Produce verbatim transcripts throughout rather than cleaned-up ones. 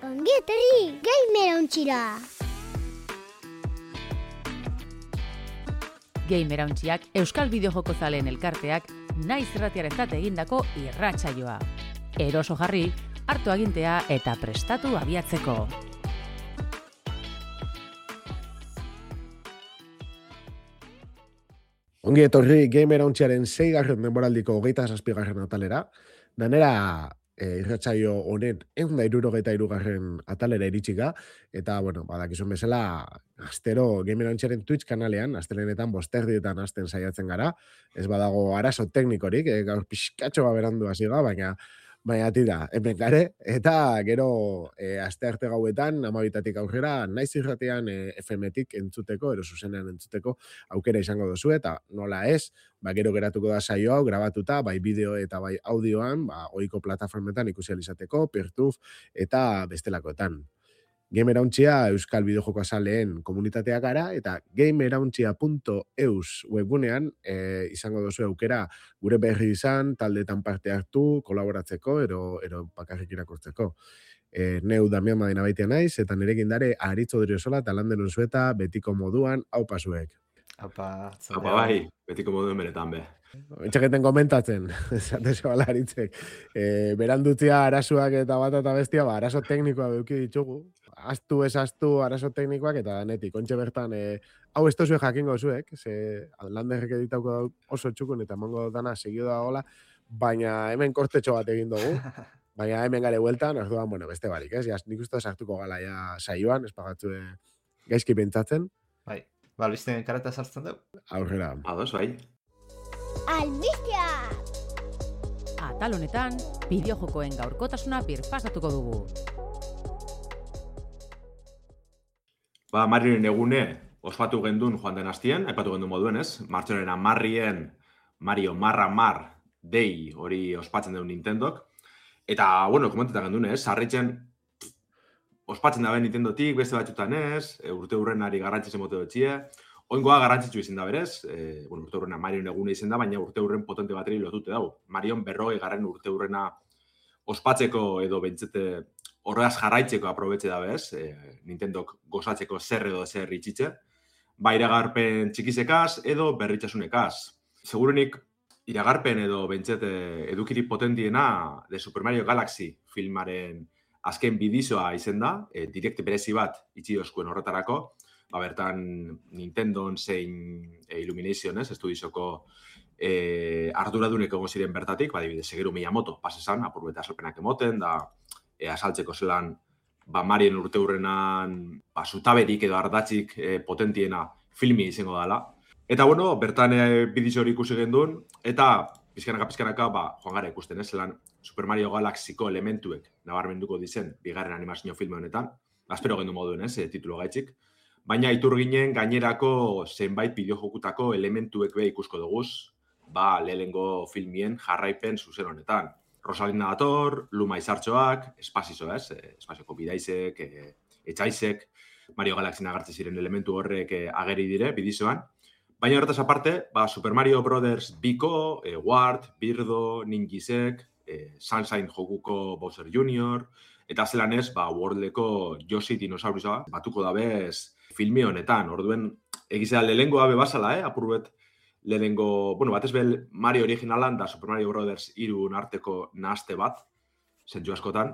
Ongi etorri, Gamer Ontxira! Gamer Ontxiak Euskal Bideojoko zaleen elkarteak naiz irratiarentzat egindako irratsaioa. Eroso jarri, hartu agintea eta prestatu abiatzeko. Ongi etorri Gamer Ontxiaren seigarren denboraldiko hogeita zazpigarren atalera, danera e, irratsaio honen ehun eta hirurogeita hirugarren atalera iritsika, eta, bueno, badakizun bezala, astero Gamer Ontxiaren Twitch kanalean, astelenetan bosterdietan hasten saiatzen gara, ez badago arazo teknikorik, e, gaur pixkatxo berandu hasi ga, baina baina tira, hemen gare, eta gero e, aste arte gauetan, amabitatik aurrera, naiz irratean e, F M-tik entzuteko, ero zuzenean entzuteko aukera izango dozu, eta nola ez, ba, gero geratuko da saio hau, grabatuta, bai bideo eta bai audioan, ba, ohiko plataformetan ikusi ahal izateko, Peertube eta bestelakoetan. Gamer Ontxia Euskal Bideojoko zaleen komunitatea gara, eta gamerontxia punto eus webgunean e, izango dozu aukera gure berri izan, taldetan parte hartu, kolaboratzeko, ero, ero bakarrik irakurtzeko. E, neu Damian Madina baitea naiz, eta nirekin dare Aritzo Driosola eta landen unzueta betiko moduan haupa zuek. Apa, Apa bai, betiko moduen benetan be. Etxeketen komentatzen, esate zebala Aritzek. E, berandutzia arazoak eta bat eta bestia, ba, arazo teknikoa beuki ditugu. Aztu ez aztu arazo teknikoak eta danetik. Ontxe bertan, e, hau ez tozue jakingo zuek, ze landerrek editauko oso txukun eta emango dana segio da gola, baina hemen kortetxo bat egin dugu. Baina hemen gare hueltan, orduan, bueno, beste barik, ez? Ja, nik uste sartuko gala ja saioan, ez pagatzu gaizki pentsatzen. Bai, ba, albisten karata sartzen dugu. Aurrera. Ados, bai. Albistea! Atal honetan, bideojokoen gaurkotasuna birpasatuko dugu. Ba, Marioren egune ospatu gendun joan den hastien, aipatu gendun moduen, ez? Martxoren amarrien Mario Marra Mar Day hori ospatzen duen Nintendok. Eta, bueno, komentetan gendun, ez? Sarritzen ospatzen dabe Nintendotik, beste batxutan ez, e, urte hurrenari garrantzitzen mote dutxie. Oingoa garrantzitsu izin da berez, e, bueno, urte hurrena Marioen egune izin da, baina urte hurren potente bateri lotute dago. Marion berrogei garren urte hurrena ospatzeko edo bentsete horreaz jarraitzeko aprobetxe da bez, e, Nintendok gozatzeko zer edo zer itxitxe, ba iragarpen txikizekaz edo berritxasunekaz. Segurunik iragarpen edo bentsete edukiri potentiena de Super Mario Galaxy filmaren azken bidizoa izen da, e, direkt berezi bat itxi oskuen horretarako, ba bertan Nintendon zein e, Illumination, ez, estudizoko e, arduraduneko egon ziren bertatik, ba, dibide, Shigeru Miyamoto pasesan, apurbeta asalpenak emoten, da e, asaltzeko zelan, ba, Marien urte hurrenan, ba, zutaberik edo ardatzik e, potentiena filmi izango dela. Eta, bueno, bertan e, bidizo hori ikusi gendun, eta pizkanaka-pizkanaka, ba, joan gara ikusten, ez, zelan Super Mario Galaxyko elementuek nabarmenduko dizen bigarren animazio filme honetan, espero gendu moduen, ez, e, titulo gaitzik. Baina itur ginen gainerako zenbait bideojokutako elementuek be ikusko duguz, ba, lehengo filmien jarraipen zuzen honetan. Rosalina dator, Luma izartxoak, Espazizo, ez? Espazioko bidaizek, e, etxaizek, Mario Galaxy agertzen ziren elementu horrek e, ageri dire, bidizoan. Baina horretaz aparte, ba, Super Mario Brothers Biko, e, Ward, Birdo, Ninjisek, e, Sunshine jokuko Bowser junior, eta zelan ez, ba, Worldeko Yoshi dinosaurusa batuko dabez filmi honetan. Orduen, egizea lehengoa bebasala, eh? Apurbet lehengo, bueno, batez behel Mario originalan da Super Mario Brothers irun arteko nahazte bat, zentzu askotan.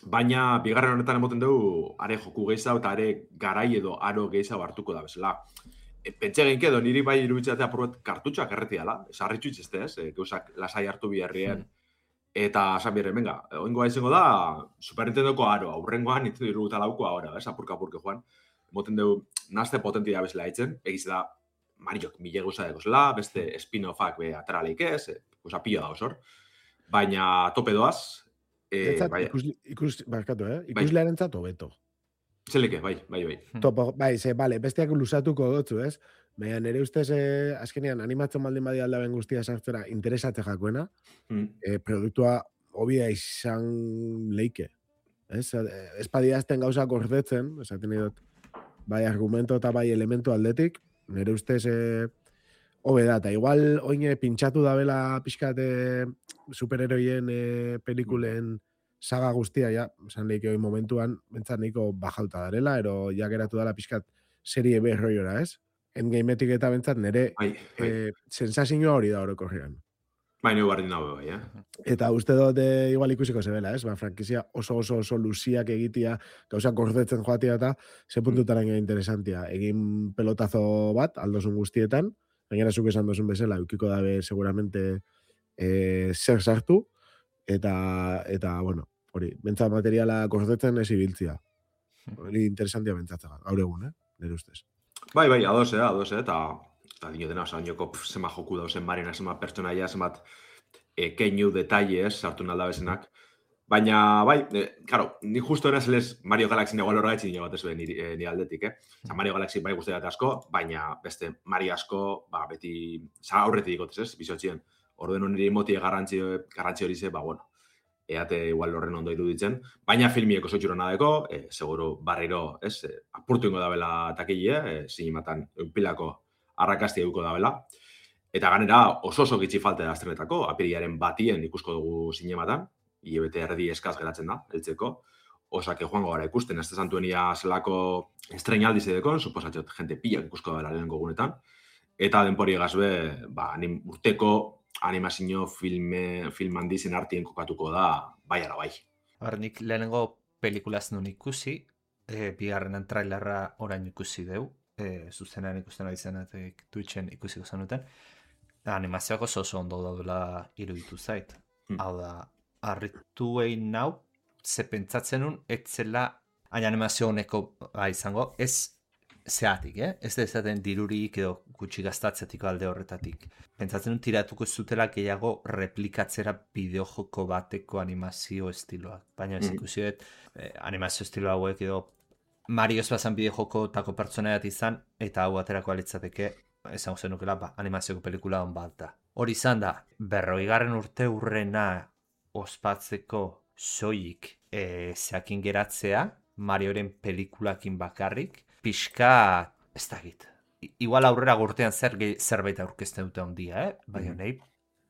Baina, bigarren honetan emoten dugu, are joku gehiago eta are garai edo aro gehiago hartuko da bezala. E, pentsa genke edo niri bai iruditzatea apurbet kartutxoak erreti dela, esarritxu itxezte ez, e, gauzak lasai hartu biherrien. Hmm. Eta, esan birren, venga, oingoa izango da, Super Nintendoko aro, aurrengoan Nintendo iruguta lauko ahora, ez, apurka-apurke joan. Moten dugu, nazte potentia bezala itzen, egiz da, Mariok mile gauza degozela, beste spin-offak be ateraleik ez, e, gauza pila da osor. Baina tope doaz. E, Etzat, bai, ikus, ikus, barkatu, eh? Bai. Ikuslearen zato beto. Zeleke, bai, bai, bai. Topo, bai, ze, bale, besteak lusatuko dutzu, ez? Baina nire ustez, eh, azkenean, animatzen baldin badi aldaben guztia sartzera interesatze jakoena, Mm. eh, produktua hobia izan leike. Ez? Espadiazten gauza gordetzen, esaten dut, bai argumento eta bai elementu aldetik, nire ustez eh, hobe da, eta igual oine pintxatu dabela pixkat eh, superheroien eh, pelikulen saga guztia, ja, esan lehik hori momentuan, bentsat nahiko bajauta darela, ero ja geratu dala pixkat serie berroiora, ez? Endgameetik eta bentsat nire Bai, bai. eh, sensazioa hori da orokorrean. Bai, nio bardin dago, bai, eh? Eta uste dut eh, igual ikusiko zebela, ez? Ba, frankizia oso oso oso luziak egitia, gauzak gordetzen joatia eta ze puntutaran mm. interesantia. Egin pelotazo bat, aldozun guztietan, gainera zuk esan dozun bezala, eukiko dabe seguramente eh, zer sartu, eta, eta bueno, hori, bentsat materiala gordetzen ez ibiltzia. Hori interesantia bentsatzea, gaur egun, eh? Nire ustez. Bai, bai, ados, eh, ados, eh, eta eta dinotena, oza, nioko zema joku dauzen marina, zema pertsonaia, zemat e, keinu detailes sartu nalda bezenak. Baina, bai, e, claro, ni justo eraz lez Mario Galaxy nego alorra etxin jo bat ez ni, e, ni aldetik, eh? Oza, Mario Galaxy bai guzti dat asko, baina beste Mario asko, ba, beti, za aurretik dikotez, ez, bizotxien. Orduen niri motie garrantzi, garrantzi hori ze, ba, bueno, eate igual horren ondo iruditzen, baina filmiek oso txuro nadeko, e, seguro barriro, ez, e, apurtu ingo dabela takile, e, zinimatan eupilako arrakasti eduko dabela. Eta ganera oso oso gitxi falte da astrenetako, apiriaren batien ikusko dugu zinematan, hilabete erdi eskaz geratzen da, heltzeko. Osake joango gara ikusten, ez da santuenia zelako estrenaldi zedekon, suposatxot jente pilak ikusko dabela lehenko gunetan. Eta denpori egazbe, ba, anim, urteko animazio filme, film handizen artien kokatuko da, bai ala bai. Hor, nik lehenengo pelikulaz nun ikusi, e, bigarrenan trailerra orain ikusi deu, e, zuzenean ikusten ari zenatek Twitchen ikusiko zenuten, animazioak oso oso ondo daudela iruditu zait. Hmm. Hau da, harritu egin nau, ze pentsatzen nun, etzela hain animazio honeko izango, ez zeatik, eh? Ez da ezaten dirurik edo gutxi gaztatzetik alde horretatik. Pentsatzen nun tiratuko zutela gehiago replikatzera bideojoko bateko animazio estiloak. Baina ez ikusi dut, eh, animazio estilo hauek edo Mario ez bazan bideojoko tako pertsonaiat izan, eta hau aterako alitzateke, esan zenukela, ba, animazioko pelikula hon bat da. Hori izan da, berroigarren urte urrena ospatzeko soilik e, zeakin geratzea, Marioren pelikulakin bakarrik, pixka, ez da git. Igual aurrera gurtean zer, zerbait aurkezten dute ondia, eh? Baina nahi,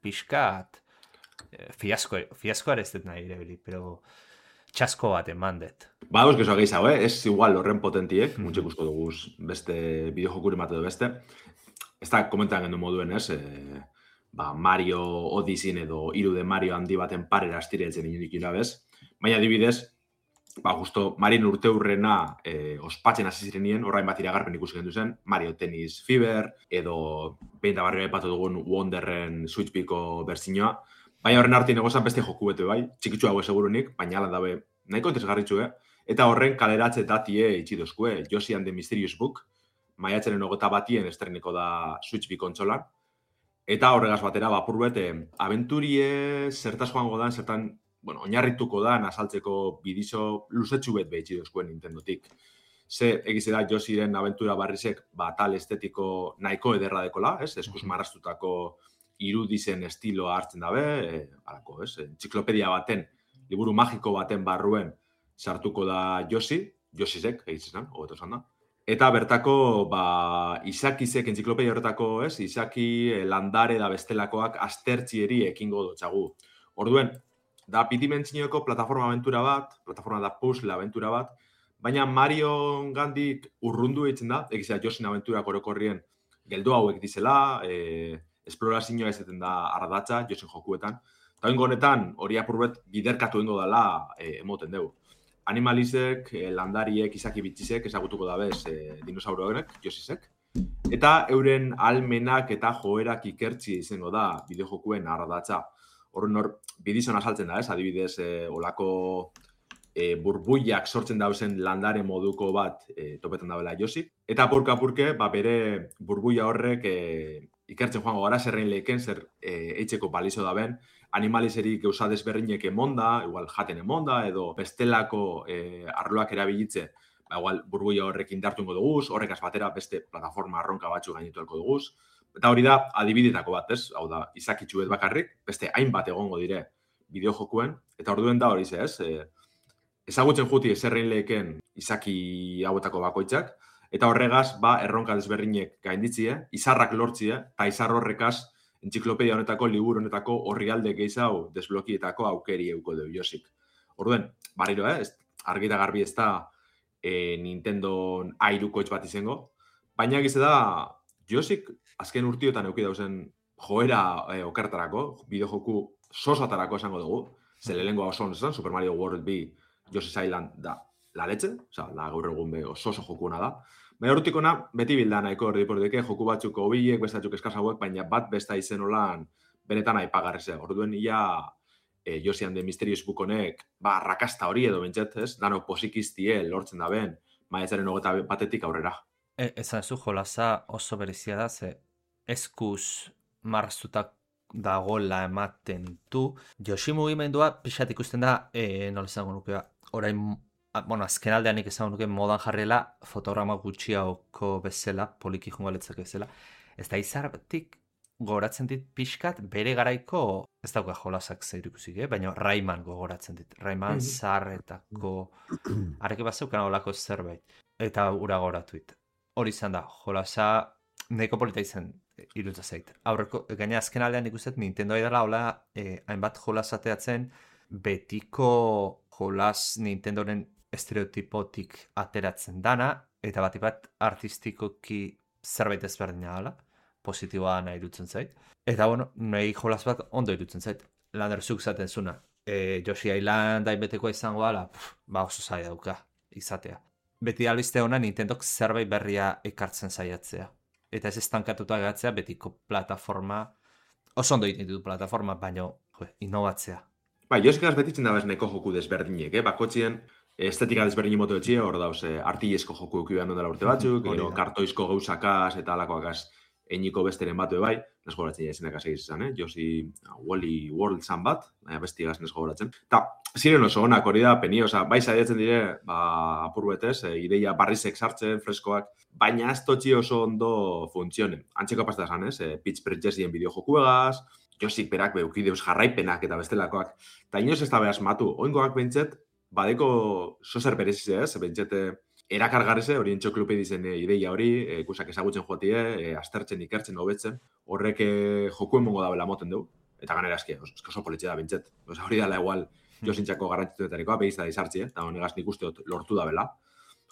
pixkat, e, fiasko, fiaskoa ez dut nahi irebili, pero txasko bat eman dut. Ba, euskizua gehiago, eh? Ez igual horren potentiek, mm. muntxe ikusko dugu beste bideojokuri mate du beste. Ez da komentan gendu moduen, ez? E, ba, Mario Odyssey edo hiru de Mario handi baten parera astiretzen inonik irabez. Baina adibidez, ba, justo Marien urte hurrena e, ospatzen hasi zirenien, orain bat iragarpen ikusi gendu zen, Mario Tennis Fever, edo behin da barrio epatu dugun Wonderren Switchpiko berzinoa. Baina horren arti negozan beste joku bete bai, txikitzu hau segurunik, baina ala dabe nahiko interesgarritxu, eh? Eta horren kaleratze datie itxidozkue, Yoshi and the Mysterious Book, maiatzenen ogota batien estreniko da Switch bi kontsolan. Eta horregaz batera, bapur bete, abenturie zertaz joango dan, zertan, bueno, oinarrituko dan, azaltzeko bidizo luzetxu bet behitxi dozkuen Nintendotik. Ze, egize da, Yoshiren abentura barrizek, ba, tal estetiko nahiko ederra dekola, ez? Eskuz marrastutako irudizen estiloa hartzen dabe, e, alako, ez? Entziklopedia baten, liburu magiko baten barruen sartuko da Yoshi, Yoshizek, egitzen, hobeto esan da. Eta bertako, ba, izakizek, entziklopedia horretako, ez? Izaki, landare da bestelakoak aztertzieri ekingo dotxagu. Orduen, da bidimentsioko plataforma aventura bat, plataforma da puzzle aventura bat, baina Mario gandik urrundu egiten da, egizea Yosin aventurak orokorrien geldo hauek dizela, e, esplorazioa izaten da ardatza, Yosin jokuetan. Eta ingo honetan, hori apurbet biderkatu ingo dela e, emoten dugu. Animalizek, e, landariek, izaki bitxizek, ezagutuko dabez e, dinosauroek, Yosisek. Eta euren almenak eta joerak ikertzi izango da bideojokuen ardatza. Horren hor, bidizon azaltzen da, ez? Adibidez, e, olako e, burbuiak sortzen dauzen landare moduko bat e, topetan dabela Yoshi. Eta apurka-apurke, ba, bere burbuia horrek e, ikertzen joango gara, zerrein leheken, zer e, eitzeko balizo daben, animalizeri gauza desberdinek emonda, igual jaten emonda, edo bestelako e, arloak erabilitze, ba, igual burbuia horrek indartu ingo duguz, horrekaz batera beste plataforma arronka batzu gainitu elko duguz. Eta hori da, adibidetako bat, ez? Hau da, izakitxu bet bakarrik, beste hainbat egongo dire bideojokuen, eta orduen da hori ze, ez? E, ezagutzen juti zerrein leheken izaki hauetako bakoitzak, eta horregaz, ba, erronka desberdinek gainditzie, izarrak lortzie, eta izar horrekaz, entziklopedia honetako, liburu honetako, orrialde gehiago desblokietako aukeri euko du Yosik. Orduen, barriro, eh? Ez, argi eta garbi ez da e, Nintendo airukoitz bat izango, baina egize da, josik azken urtiotan euki dauzen joera e, okertarako, bideojoku sosatarako esango dugu, ze lehengoa oso onesan, Super Mario World bi Yoshi's Island da la leche, oza, da gaur egun be oso oso jokuena da. Baina urtikona, beti bilda nahiko erdipordeke, joku batzuk hobiek, bestatzuk eskasauek, baina bat besta izen olan benetan aipagarrizea. Orduen ia e, Yoshi and the Mysterious Book honek, ba, rakasta hori edo bentset, ez? Danok posikiztie lortzen da ben, maiatzaren hogeta batetik aurrera. E, ezan zu jolaza oso berezia da, ze eskuz marraztutak dagoela ematen du. Yoshi mugimendua pixat ikusten da, e, nola izango nukea, orain, a, bueno, azken aldeanik izango nuke modan jarrela fotograma gutxiago bezala, poliki jongo letzak bezala. Ez da izartik gogoratzen dit pixkat bere garaiko, ez dauka jolasak zeiru ikusik, eh? Baina Rayman gogoratzen dit. Rayman zarretako, areke bat zeukan olako zerbait. Eta ura gogoratuit. Hori izan da, jolasa nahiko polita izan irutza zait. Aurreko, gaina azken aldean ikustet, Nintendo edala hola eh, hainbat jolasateatzen betiko jolas Nintendoren estereotipotik ateratzen dana, eta bat bat artistikoki zerbait ezberdina dela, positiboa nahi irutzen zait. Eta bueno, nahi jolas bat ondo irutzen zait. Lander zuk zaten zuna. E, Yoshi Island hainbetekoa izango dela, ba oso zai dauka izatea. Beti albiste hona Nintendok zerbait berria ekartzen saiatzea. Eta ez estankatuta gatzea betiko plataforma, oso ondo egiten ditu plataforma, baina innovatzea. Ba, Yoshikaz betitzen da bez neko joku desberdinek, eh? Bakotzien estetika desberdin moto etxia, hor dauz, eh, artillesko joku eukibaren dela urte batzuk, gero kartoizko gauzakaz eta alakoakaz einiko besteren batu bai, nes gogoratzen jazenak asegiz izan, eh? Yoshi Wally World zan bat, baina bestigaz nes gogoratzen. Ta, ziren oso honak hori da, peni, oza, bai zaiatzen dire, ba, apur betez, e, ideia barrizek sartzen, freskoak, baina ez totxi oso ondo funtzionen. Antzeko pasta esan, ez? E, Pitch Princessien bideojokuegaz, Yoshik berak beukideuz jarraipenak eta bestelakoak. Ta inoz ez da behaz matu, oingoak bentset, badeko sozer berezize, ez? Bentsete, erakargarrize, hori entxoklupe dizen e, ideia hori, e, ikusak ezagutzen joatie, e, aztertzen, ikertzen, hobetzen, horrek e, joku emongo da bela moten du, eta ganera eski, oso politxe da bentset. Osa, hori dala igual, Yoshintxako garrantzituetarikoa, behiz da izartzi, eta honegaz nik uste lortu da bela.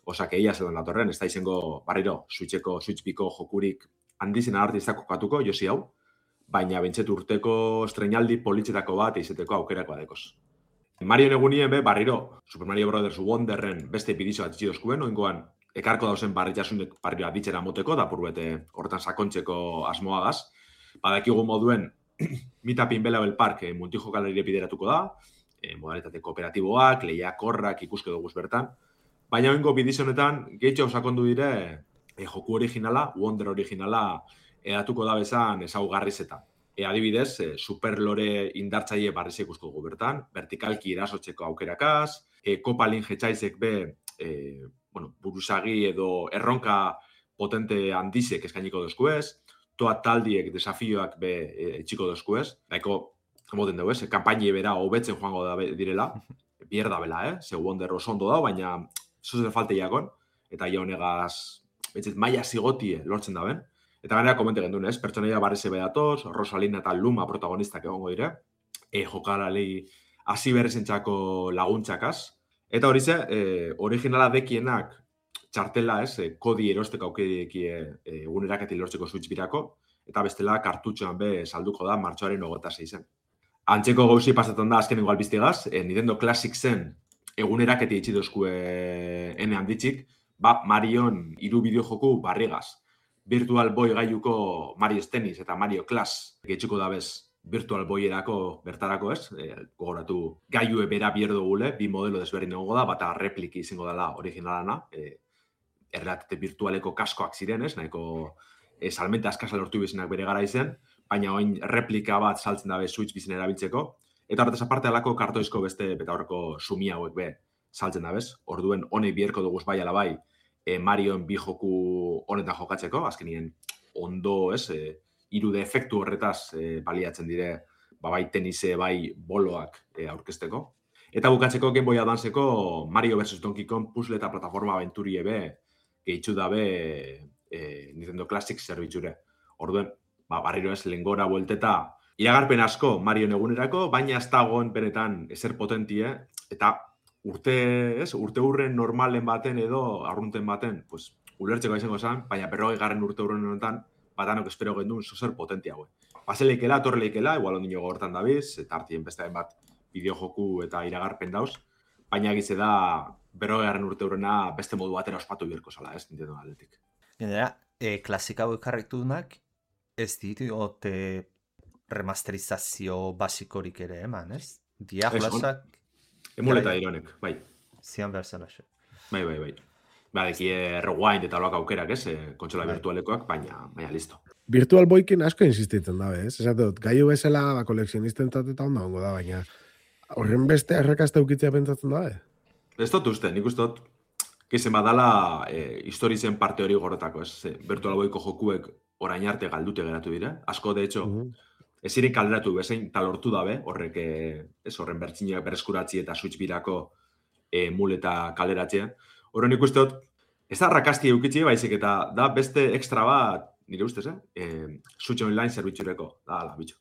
Osa, que ia zelan datorren, ez da izango, barriro, Switcheko, Switchbiko jokurik handizena artistak kokatuko, Yoshi hau, baina bentset urteko estrenaldi politxetako bat izeteko aukerako adekoz. Mario egunien be, barriro, Super Mario Brothers Wonderren beste bidizo bat itxidozkuen, oingoan, ekarko dauzen barritxasunek barriro aditzera moteko, da purbete hortan sakontzeko asmoagaz. Badakigu moduen, Mitapin Belabel Park e, multijokalarire bideratuko da, e, modalitate kooperatiboak, lehiakorrak ikuske dugu bertan, baina oingo bidizo honetan, gehitxo sakondu dire, e, joku originala, Wonder originala, edatuko da bezan ezaugarrizetan. E, adibidez, e, superlore indartzaile barriz ikusko dugu bertan, vertikalki erasotzeko aukerakaz, e, kopalin jetxaizek be, e, bueno, buruzagi edo erronka potente handizek eskainiko dozkuez, toa taldiek desafioak be e, etxiko dozkuez, daiko, moten dugu ez, e, kampaini bera hobetzen joango da direla, bier da bela, eh? Ze Wonder oso ondo da, baina zuzen falte jakon, eta ja honegaz, betzit, maia zigotie lortzen da ben. Eta ganera komente gendun, ez? Pertsonaia barrize bedatoz, Rosalina eta Luma protagonistak egongo dire, e, jokalali hasi berrezentzako laguntzakaz. Eta hori ze, e, originala dekienak txartela, ez? E, kodi erosteko aukedekie e, eguneraketi lortzeko Switch birako, eta bestela kartutxoan be salduko da martxoaren hogeta zeizen. Antzeko gauzi pasatzen da azkenengo albiztigaz, e, Nintendo Classic zen eguneraketi itxidozkue ene handitzik, ba, Marion hiru bideojoku barrigaz. Virtual Boy gaiuko Mario Tennis eta Mario Clash gehitzuko da bez Virtual Boyerako bertarako ez, e, gogoratu gaiue bera bierdo gule, bi modelo desberdin egongo da, bata repliki izango dela originalana, e, errealitate virtualeko kaskoak ziren ez, nahiko e, salmenta askasa lortu bizinak bere gara izen, baina oin replika bat saltzen dabe Switch bizin erabiltzeko, eta horretaz aparte alako kartoizko beste beta horreko sumi hauek be saltzen dabez, orduen honek bierko duguz bai ala bai, E, Marioen bi joku honetan jokatzeko, azkenien ondo, ez, e, irude efektu horretaz e, baliatzen dire, ba, bai tenise, bai boloak e, aurkezteko. Eta bukatzeko Game Boy Advanceko Mario versus. Donkey Kong puzzle eta plataforma aventurie be, gehitzu dabe e, Nintendo Classic zerbitzure. Orduen, ba, barriro ez, lehengora buelteta iragarpen asko Marion egunerako, baina ez dagoen benetan ezer potentie, eta urte, ez, urte hurren normalen baten edo arrunten baten, pues, ulertzeko izango zen, baina berrogei garren urte hurren honetan, batanok espero gendun zozer potentia, güey. Paseleikela, torreleikela, igual ondino gortan dabiz, eta hartien beste bat bideojoku eta iragarpen dauz, baina egize da berrogei garren urte hurrena beste modu batera ospatu birko zala, ez, Nintendo aldetik. Gainera, e, klasika hau ekarritunak ez ditu ote remasterizazio basikorik ere eman, ez? Dia jolasak... Emuleta ironek, bai. Zian behar zela xe. Bai, bai, bai. Ba, deki rewind eta loak aukerak, ez? Eh, kontsola Bai. virtualekoak, baina, baina, listo. Virtual Boykin asko insistitzen dabe, ez? Esate dut, gaiu bezala ba, koleksionisten eta onda hongo da, baina horren beste arrakazta ukitzea pentsatzen dabe? Ez dut uste, nik uste dut, gizen badala eh, historizen parte hori gorretako, ez? Ze, Virtual Boyko jokuek orain arte galdute geratu dira. Asko, de hecho, Mhm. ez ziren kalderatu bezein talortu dabe, horrek, eh, ez horren bertzinak berreskuratzi eta Switch birako eh, muleta kalderatzea. Horren ikuste dut, ez da rakasti eukitzi baizik eta da beste extra bat, nire ustez, eh? eh Switch Online zerbitzureko, da, ala, bitxo.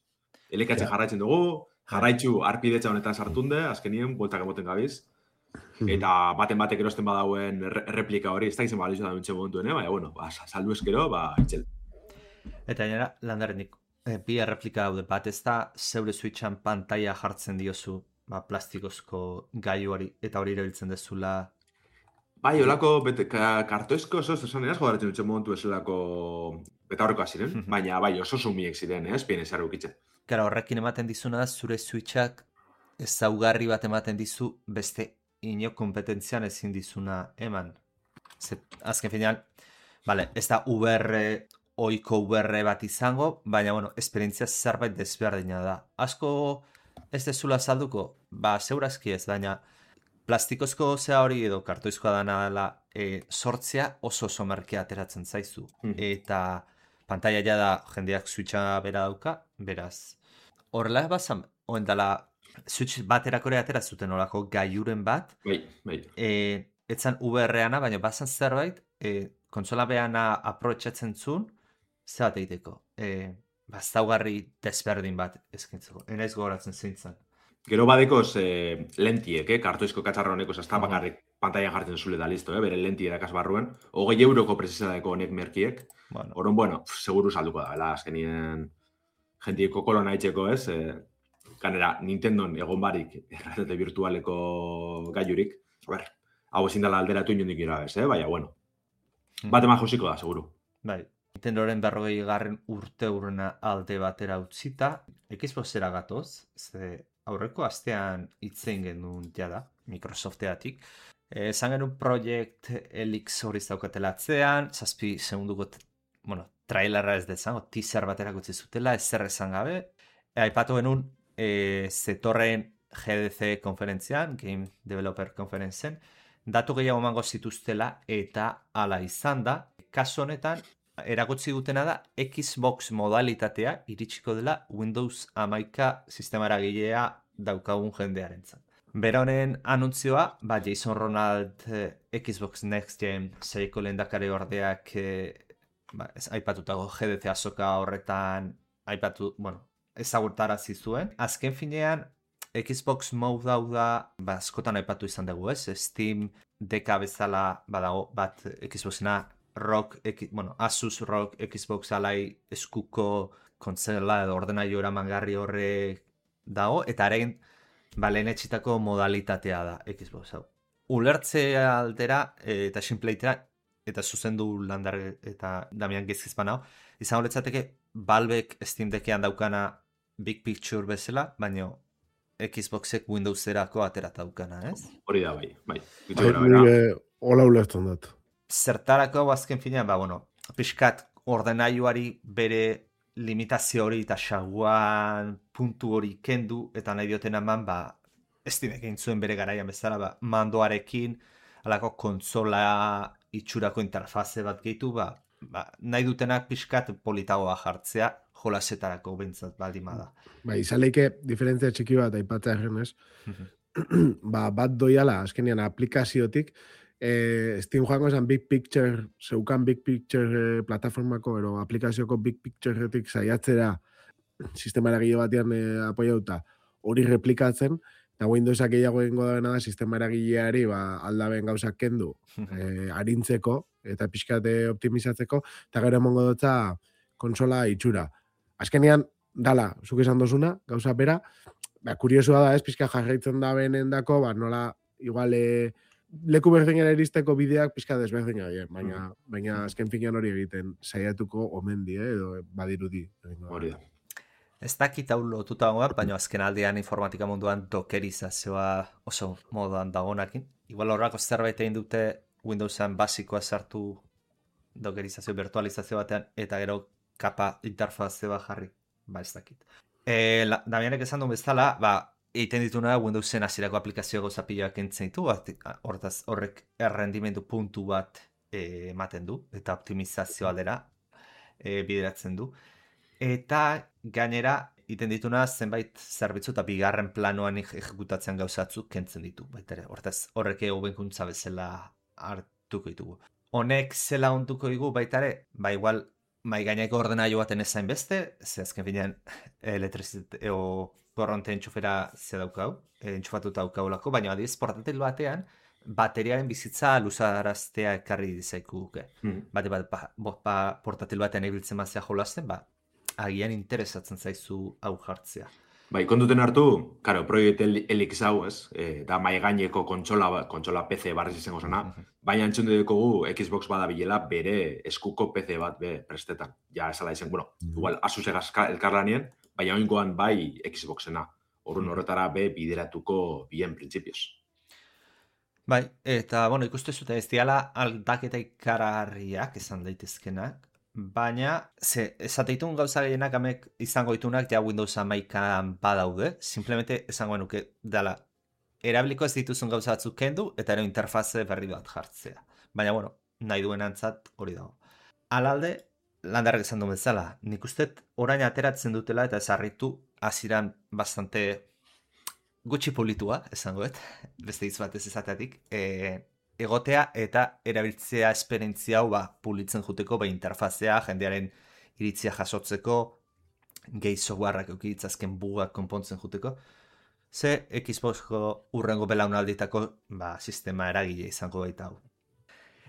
Elekatzen Ja. jarraitzen dugu, jarraitzu arpidetza honetan sartunde, azkenien, bueltak emoten gabiz, eta baten batek erosten badauen erre- erreplika hori, ez da izan balizu da dutxe momentuen, eh? Baina, bueno, ba, saldu eskero, ba, itxel. Eta gainera, landarenik, e, bi erreplika daude bat, ez da zeure Switchan pantaila jartzen diozu ba, plastikozko gaiuari eta hori erabiltzen dezula. Bai, olako, bete, ka, kartoizko oso, esan eraz jodaretzen dutxe momentu ezelako beta horrekoa ziren, baina bai, oso sumiek ziren, ez, bien ezar ukitzen. Gara, horrekin ematen dizuna da, zure Switchak ezaugarri bat ematen dizu beste ino kompetentzian ezin dizuna eman. Ze, azken finean, vale, ez da U R, oiko U R bat izango, baina, bueno, esperientzia zerbait desberdina da. Asko ez dezula salduko, ba, segurazki ez, baina plastikozko zea hori edo kartoizkoa dana dela e, sortzea oso oso merkea ateratzen zaizu. Mhm. Eta pantaila ja da jendeak Switcha bera dauka, beraz. Horrela bazan, oen dela Switch baterakore atera zuten olako gaiuren bat, Bai, bai. e, etzan U R-ana, baina bazan zerbait, e, kontsola behana aprobetxatzen zuen, ze bat egiteko. E, baztaugarri desberdin bat eskintzeko. Enaiz gogoratzen zintzen. Gero badekoz eh, lentiek, eh, kartoizko katxarra honeko, ez da Mhm. bakarrik pantailan jartzen zule da listo, eh, bere lenti erakaz barruen, hogei euroko prezisadeko honek merkiek, Bueno, Oron, bueno, pf, seguru salduko da, bela, azkenien jentieko kolona itxeko, ez? Eh, ganera, Nintendon egon barik errealitate virtualeko gaiurik, a ber, hau ezin dela alderatu inondik irabez, eh? Baina, bueno, bat eman josiko da, seguru. bai. Nintendoren berrogei garren urte urrena alde batera utzita, Xboxera gatoz, ze aurreko astean hitzein genuen jada, Microsofteatik. Eh, Esan genuen Project Helix hori zaukatela atzean, zazpi segunduko, t- bueno, trailerra ez dezango, teaser batera gutzi zutela, ezer esan gabe. E, aipatu genuen, e, zetorren G D C konferentzian, Game Developer Conferencean, datu gehiago emango zituztela eta hala izan da. Kasu honetan, eragotzi dutena da Xbox modalitatea iritsiko dela Windows hamaika sistemara gilea daukagun jendearentzat. Bera honen anuntzioa, ba, Jason Ronald eh, Xbox Next Gen seiko lehendakari ordeak eh, ba, ez, aipatutako G D C azoka horretan aipatu, bueno, ezagutarazi zuen. Azken finean, Xbox Mode hau da, ba, askotan aipatu izan dugu, ez? Steam deka bezala badago bat Xboxena Rock, X, bueno, Asus Rock Xbox alai eskuko kontsola edo ordenailu eramangarri horre dago, eta haren ba, lehen etxitako modalitatea da Xbox hau. Ulertzea aldera e, eta sinpleitera, eta zuzendu landar eta Damian Gezkizpan hau, izango letzateke Valvek Steam Deckean daukana Big Picture bezala, baina Xboxek Windowserako aterata daukana, ez? Hori da, bai, bai. Gutxi Bai, gora bera. nire hola ulertzen dut. Zertarako hau azken finean, ba, bueno, pixkat ordenailuari bere limitazio hori eta xaguan puntu hori kendu, eta nahi dioten eman, ba, Steamek egin zuen bere garaian bezala, ba, mandoarekin, alako kontsola itxurako interfaze bat gehitu, ba, ba, nahi dutenak pixkat politagoa jartzea, jolasetarako bentsat baldin bada. Ba, izan leike diferentzia txiki bat aipatzea errenez, ba, bat doiala, azkenean aplikaziotik, eh, Steam joango esan Big Picture, zeukan Big Picture eh, plataformako, ero aplikazioko Big Picturetik saiatzera sistema eragile batean e, apoiauta hori replikatzen, eta Windowsak gehiago egingo da da sistema eragileari ba, aldaben gauzak kendu e, arintzeko eta pixkate optimizatzeko, eta gero emongo dutza konsola itxura. Azkenean, dala, zuk esan dozuna, gauza bera, ba, kuriosua da ez, pixka jarraitzen da benendako, ba, nola, igual, e, leku berdinera iristeko bideak pixka desberdina, eh? baina, baina azken finean hori egiten saiatuko omen die, edo badirudi. Hori da. Ez dakit hau lotuta goak, baina azken aldean informatika munduan dokerizazioa oso moduan dagonakin. Igual horrako zerbait egin dute Windowsen basikoa sartu dokerizazio virtualizazio batean, eta gero kapa interfazioa jarri, ba ez dakit. E, la, Damianek esan duen bezala, ba, egiten dituna Windowsen hasierako aplikazio gauza piloak entzen ditu, hortaz horrek errendimendu puntu bat e, ematen du, eta optimizazio aldera e, bideratzen du. Eta gainera, egiten dituna zenbait zerbitzu eta bigarren planoan ejekutatzen gauzatzuk kentzen ditu. Baitere, hortaz horrek hobenkuntza bezala hartuko ditugu. Honek zela onduko digu baitare, ba igual mai gaineko ordenailu baten ezain beste, ze azken finean elektrizit o korronte entxufera ze daukau, entxufatuta daukaulako, baina adiz portatil batean bateriaren bizitza luzaraztea ekarri dizaikuke. Mm. Bate bat, ba, ba, portatil batean ibiltzen mazia jolasten, ba, agian interesatzen zaizu hau jartzea. Bai, kontuten hartu, karo, proiektu Helix hau, ez, e, da mai gaineko kontsola, kontsola P C barriz izango zena, uh -huh. baina entzun dugu Xbox badabilela bere eskuko P C bat be prestetan. Ja, esala izan, bueno, uh -huh. igual Asus elkarlanien, baina oingoan bai Xboxena. Horren horretara be bideratuko bien printzipioz. Bai, eta, bueno, ikustu zute ez diala aldaketa ikaragarriak izan daitezkenak, baina, ze, esateitun gauza gehienak amek izango ditunak ja Windows hamaikan badaude, simplemente esango nuke dala, erabiliko ez dituzun gauza batzuk kendu, eta ero interfaze berri bat jartzea. Baina, bueno, nahi duen antzat hori dago. Alalde, landarrak esan duen bezala, nik usteet orain ateratzen dutela eta ezarritu aziran bastante gutxi politua, esangoet, beste hitz batez ezateatik, e, egotea eta erabiltzea esperientzia hau ba, pulitzen juteko, ba, interfazea, jendearen iritzia jasotzeko, gehi softwareak eukiditzazken bugak konpontzen juteko, ze Xboxko urrengo belaunalditako ba, sistema eragile izango baita hau.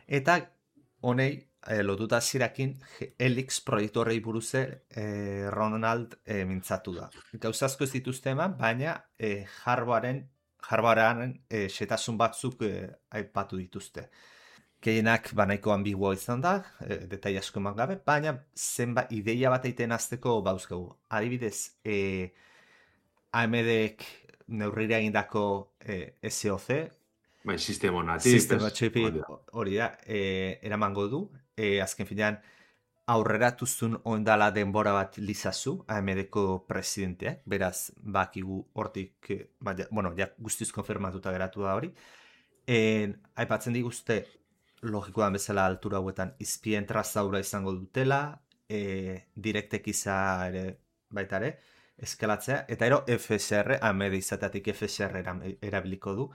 Eta honei, e, lotuta zirakin, Helix proiektu horrei buruze e, Ronald e, mintzatu da. Gauzazko ez dituzte eman, baina e, hardwaren Hardwarean e, xetasun batzuk e, aipatu dituzte. Gehienak banaiko ambiguo izan da, e, detai asko eman gabe, baina zenba ideia bat egiten azteko bauzkagu. Adibidez, e, A M Dek neurrira egindako e, S O C, bai, sistema natif, sistema txipi hori da, e, eramango du, e, azken finean, aurreratuzun ondala denbora bat lizazu, A M Deko presidenteak, beraz, bakigu hortik, ba, ja, bueno, ja guztiz konfirmatuta geratu da hori. E, aipatzen diguzte, logikoan bezala altura hauetan, izpien trazaura izango dutela, e, direktek iza ere, baita ere, eskalatzea, eta ero F S R, A M D izateatik F S R erabiliko du.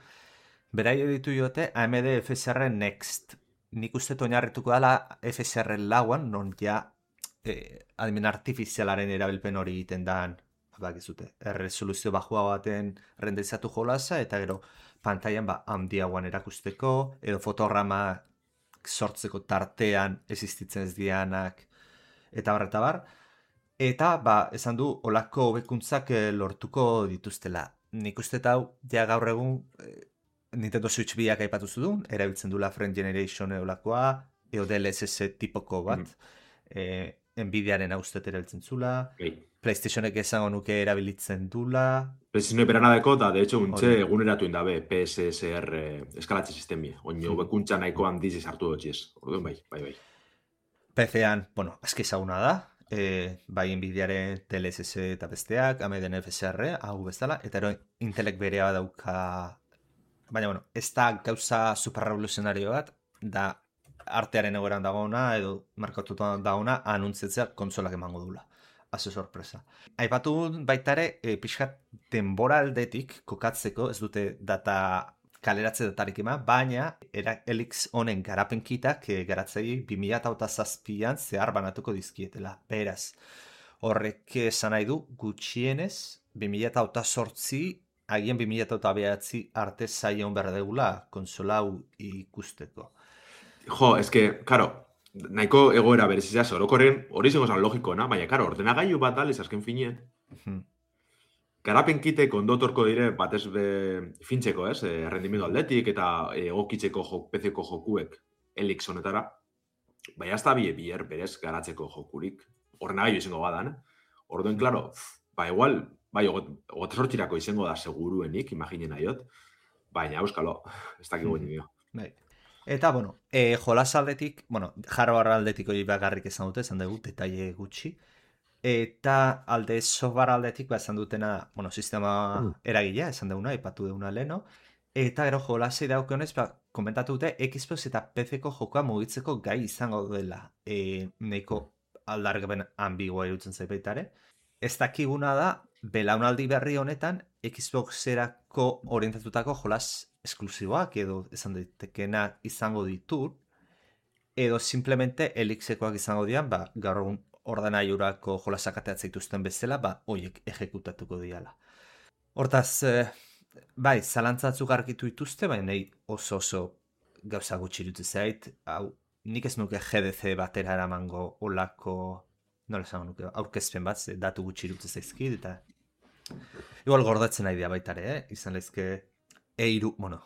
Berai ditu jote, A M D F S R Next. Nik uste oinarrituko dela F S R lauan, non ja eh, adimen artifizialaren erabilpen hori egiten dan, bakizute, erresoluzio bajua baten renderizatu jolasa, eta gero pantailan ba, handiagoan erakusteko, edo fotograma sortzeko tartean existitzen ez dianak, eta bar, eta bar. Eta, ba, esan du, olako hobekuntzak eh, lortuko dituztela. Nik uste hau, ja gaur egun, eh, Nintendo Switch biak aipatu zudun, erabiltzen dula Friend Generation eolakoa, edo D L S S tipoko bat, mm. e, Nvidiaren haustet erabiltzen zula, okay. PlayStationek esango nuke erabilitzen dula. PlayStation beranadeko, da, de hecho, untxe eguneratu indabe P S S R eskalatze sistemia. Oin hobekuntza nahiko handiz hartu dutxiez. Orduan bai, bai, bai. P C-an, bueno, aski ezaguna da, e, bai Nvidiaren D L S S eta besteak, A M D F S R, hau bezala, eta ero Intelek berea dauka. Baina, bueno, ez da gauza superrevoluzionario bat, da artearen egoeran dagoena, edo markatuta dagoena, anuntzetzea konsolak emango dula. Haze sorpresa. Aipatu baitare, e, pixkat denbora aldetik kokatzeko, ez dute data kaleratze datarik ema, baina era Helix honen garapenkitak e, garatzei bi mila zazpian zehar banatuko dizkietela. Beraz, horrek esan nahi du gutxienez bi mila eta zortzi agian bi mila eta bederatzi arte zaion behar degula konsola hau ikusteko. Jo, eske, karo, nahiko egoera berezizaz, orokorren hori zengo zan logikoena, baina, karo, ordenagailu bat aliz azken finien. Hmm. Garapen kitek ondotorko dire batez be fintzeko, ez? E, rendimendu aldetik eta egokitzeko jo, P C-ko jokuek Helix honetara. Baina ez da bie bier berez garatzeko jokurik. Ordenagailu izango badan, eh? Orduen, klaro, ba igual, bai, ogote sortxirako izango da seguruenik, imaginen aiot. Baina, euskalo, ez dakik guen dio. Bai. Eta, bueno, e, jolas aldetik, bueno, hardware aldetik hori bakarrik esan dute, esan dugu, detaile gutxi. Eta alde software aldetik, ba, esan dutena, bueno, sistema mm. eragilea, esan duguna, ipatu duguna leno. Eta gero jolasei daukionez, ba, komentatu dute, Xbox eta P C-ko jokoa mugitzeko gai izango dela. E, Neiko aldargaben ambigua irutzen zaipaitare. Ez dakiguna da, belaunaldi berri honetan, Xboxerako orientatutako jolas esklusiboak edo esan daitekena izango ditut, edo simplemente Helixekoak izango dian, ba, gaur egun ordenagailurako jolasak ateratzen dituzten bezala, ba, hoiek ejekutatuko diala. Hortaz, eh, bai, zalantzatzuk argitu dituzte, baina nahi oso oso gauza gutxi dut zait, hau, nik ez nuke G D C batera eramango olako, nola esango nuke, aurkezpen bat, ze datu gutxi dut zaizkit, eta igual gordatzen nahi dira baitare, eh? Izan lehizke eiru, bueno,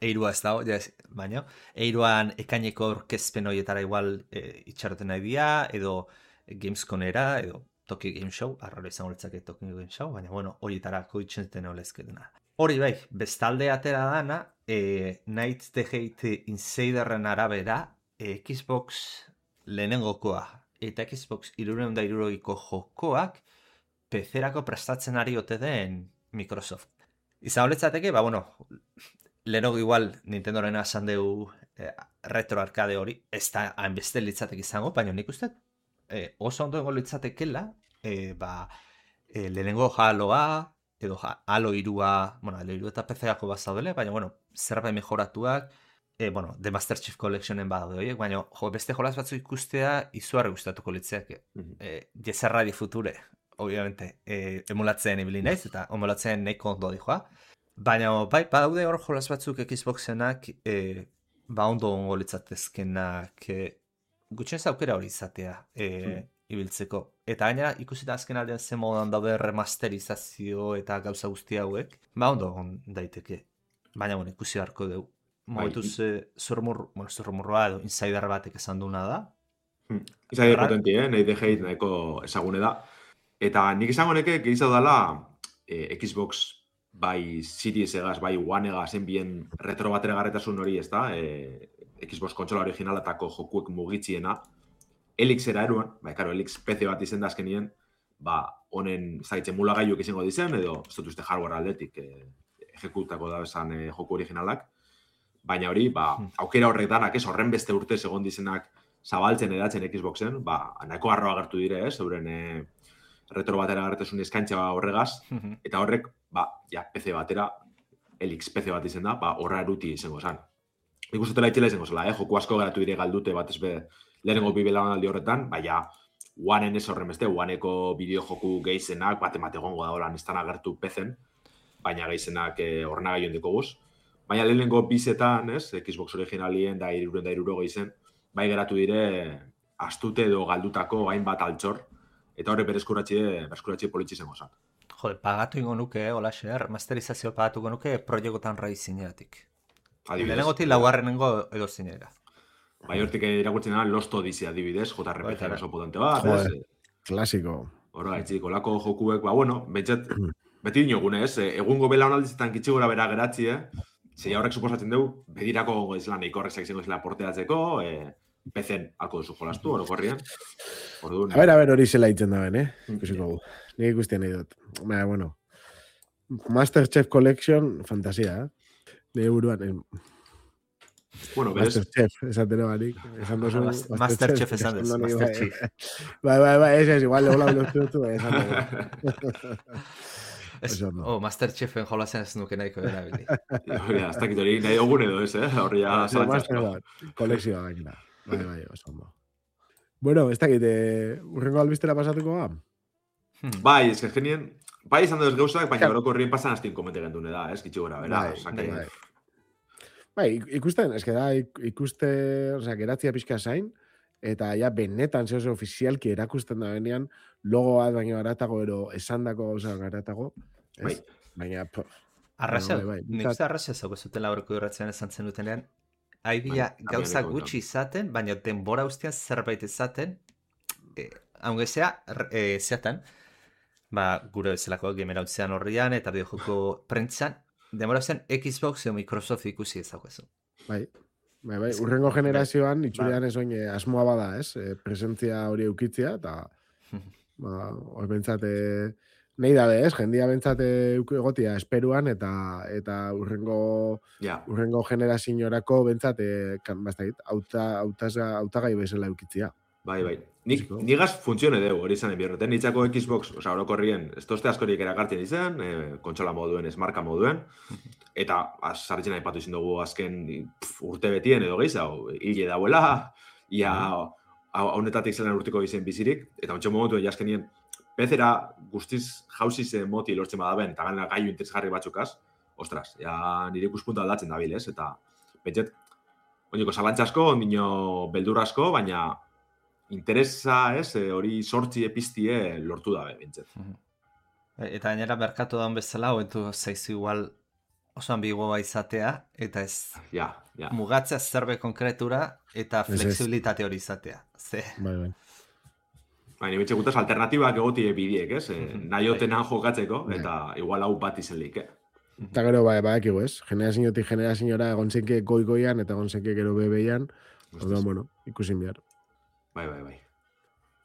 eirua ez dago, ja, baina, eiruan ekaineko aurkezpen horietara igual e, itxaroten nahi dira, edo Gamesconera, edo Tokyo Game Show, arraro izango letzake Tokyo Game Show, baina, bueno, horietarako itxenten olezketena. Hori bai, bestalde atera dana, e, Night the Hate Insiderren arabera, e, Xbox lehenengokoa eta Xbox hirurehun eta hirurogiko jokoak P C-erako prestatzen ari ote den Microsoft. Izan holetzateke, ba, bueno, lehenago igual Nintendoren esan dugu eh, retro arcade hori, ez da hainbeste litzatek izango, baina nik uste eh, oso ondo egon litzatekela, eh, ba, eh, lehenengo Haloa, edo Halo hirua, bueno, Halo hiru eta P C-ako bazaudele, baina, bueno, zerbait mejoratuak, eh, bueno, The Master Chief Collectionen badaude horiek, baina jo, beste jolas batzu ikustea izugarri gustatuko litzeak. Mm-hmm. eh, Jezerra di future, obviamente, eh, emulatzen ibili naiz, eta emulatzen nahiko ondo dijoa. Baina, bai, badaude hor jolas batzuk Xboxenak, eh, ba ondo ongo litzatezkenak, eh, gutxen aukera hori izatea eh, hmm. ibiltzeko. Eta gainera, ikusita azken aldean zen modan daude remasterizazio eta gauza guzti hauek, ba ondo on daiteke. Baina, bueno, ikusi beharko dugu. Momentuz, eh, zurmur, bueno, zurmurroa edo insider batek esan duna da. Hmm. Insider potenti, eh? Nahi dejeit nahiko ezagune da. Eta nik izango neke, gehizago dala eh, Xbox bai Series egaz, bai One egaz, enbien retro batera garretasun hori, ez da, e, Xbox kontsola originalatako jokuek mugitziena, Helixera eruan, bai, karo, Helix P C bat izen da azkenien, ba, honen, ez da, itxe mulagailuak izango dizen, edo, ez dut uste hardware aldetik, e, ejekutako da bezan e, joku originalak, baina hori, ba, aukera horrek danak, ez, horren beste urte segon dizenak zabaltzen edatzen Xboxen, ba, nahiko garroa agertu dire, ez, euren e, retro batera garretasun eskaintza horregaz, eta horrek, ba, ja, P C batera, Helix P C bat izen da, ba, horra eruti izango zan. Nik ustutela itxela izango zela, eh? Joku asko geratu dire galdute bat ez be, lehenengo bibelaunaldi horretan, baina, One-en ez horren beste, One-eko bideo joku gehizenak, bat emate gongo da holan, ez agertu P C-en, baina gehizenak eh, horrena gaio indiko guz. Baina lehenengo bizetan, ez, Xbox originalien da hirurehun da hirurogei geizen, bai geratu dire, astute edo galdutako hainbat altxor, eta horre berezkuratxe, berezkuratxe politxe izango zan. Jode, pagatu ingo nuke, hola xer, masterizazio pagatuko nuke proiekotan rai zineatik. Lehenengotik laugarrenengo edo zinera. Bai, hortik irakurtzen da Lost Odyssey adibidez, J R P G oso potente bat. Joder, klasiko. Hora, etxik, olako jokuek, ba, bueno, betxet, beti dinogune, ez? Egungo belaunaldizetan kitxigora bera geratzi, eh? Zei horrek suposatzen dugu, bedirako gongo izela, neiko horrek izango izela porteatzeko, eh, P C-en alko duzu jolastu, orokorrian. Orduan. A ber, a ber, hori zela itzen da ben, eh? Ikusiko gu. Nik ikusten nahi dut. Baina, bueno. Masterchef Collection, fantasia, eh? Nire buruan, eh? Bueno, berez. Masterchef, esaten barik. Esan dozu. Masterchef esan duz, Masterchef. Bai, bai, bai, ez ez, igual, hola, ulertu dut, bai, esan dugu. Oh, Masterchefen jolazen ez nuke nahiko erabili. Ja, hasta kitori, nahi ogun edo ez, eh? Horri ja, zalantzazko. Kolekzioa gaina. Bai, bai, oso ondo. Bueno, ez dakit, urrengo albistera pasatuko ba? Bai, ez que genien, bai izan dut gauzak, baina orokorrien pasan hastin komente gendune da, ez, gitxi gora, bera. Bai, Osea, que- bai. Bai, ik- ikusten, eske da, ik- ikuste, osea, geratzia pixka zain, eta ja benetan zehose ofizialki erakusten da benean, logoa baino garatago, ero esandako gauza garatago, ez? Bai. Baina, po, Arraza, Bueno, bai, bai, nik bintzat- uste arraza zauko zuten lauroko irratzean esan zen dutenean, haibila Bai, gauza abianeko gutxi izaten, baina denbora ustean zerbait izaten, eh, haunge zea, eh, zeatan, ba, gure bezalako gamerautzean horrian eta bideojoko prentzan, denbora ustean Xbox edo Microsoft ikusi ezaguezu. bai, bai, bai, Ez que- urrengo generazioan, Ba. itxurean ez oin, eh, asmoa bada, ez? E, presentzia hori eukitzia, eta, ba, hor bentsate, nahi dabe, ez? Jendia bentsate egotia esperuan, eta eta urrengo Ja, urrengo generazioarako bentsate, kan, bastait, auta, autaga, autagai bezala eukitzia. bai, bai. Nik, Fisiko. nigaz funtzione deu, hori izan enbierreten. Nitzako Xbox, oza, orokorrien, ez toste askorik erakartzen izan, e, kontsola moduen, ez marka moduen, eta sartzen aipatu izin dugu azken pf, urte betien edo gehiago, hile dauela, ia hau- haunetatik zelan urtiko izen bizirik, eta ontsa momentu jaskenien, bezera guztiz jauziz moti lortzen badaben, eta gana gaiu interesgarri batzukaz, ostras, ja nire ikuspuntu aldatzen dabil, ez? Eta, betxet, oineko zalantzasko, ondino beldurrasko, baina interesa, ez, e, hori sortzi epistie lortu dabe, bintzet. Eta gainera merkatu daun bezala, hobetu zaizu igual oso ambigoa izatea, eta ez Ja, ja. mugatzea zerbait konkretura eta Ez, ez. flexibilitate hori izatea. Ze, Bai, bai. Baina betxe gutaz alternatibak egotie bidiek, ez? E, Mhm. nahi otenan jokatzeko, Bai. eta igual hau bat izen lik, eh? Eta gero, bai, badakigu, ez? Generaziotik generaziora egon zenke goi-goian, eta egon zenke gero bebeian, orduan, bueno, ikusin behar. Bai, bai, bai.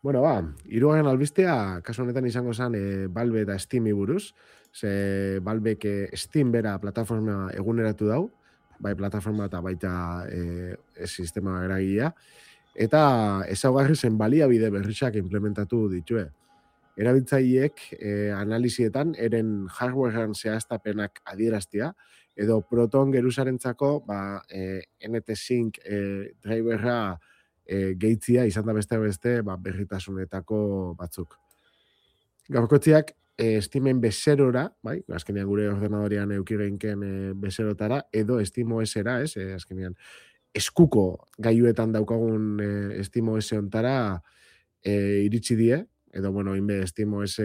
Bueno, ba, hirugarren albistea, kasu honetan izango zen e, Valve eta Steami buruz. Ze Valvek e, Steam bera plataforma eguneratu dau, bai plataforma eta baita e, e, sistema eragilea. Eta ezaugarri zen baliabide berriak implementatu ditue. Erabiltzaileek e, analizietan eren hardwarean zehaztapenak adieraztia, edo Proton geruzarentzako ba, e, N T Sync e, driverra e, gehitzia izan da beste beste ba, berritasunetako batzuk. Gaurkotziak e, Steamen bezerora, bai, azkenean gure ordenadorian euki geinken e, bezerotara, edo SteamOS-era, ez, e, azkenean eskuko gaiuetan daukagun e, SteamOS ontara e, iritsi die, edo, bueno, inbe SteamOS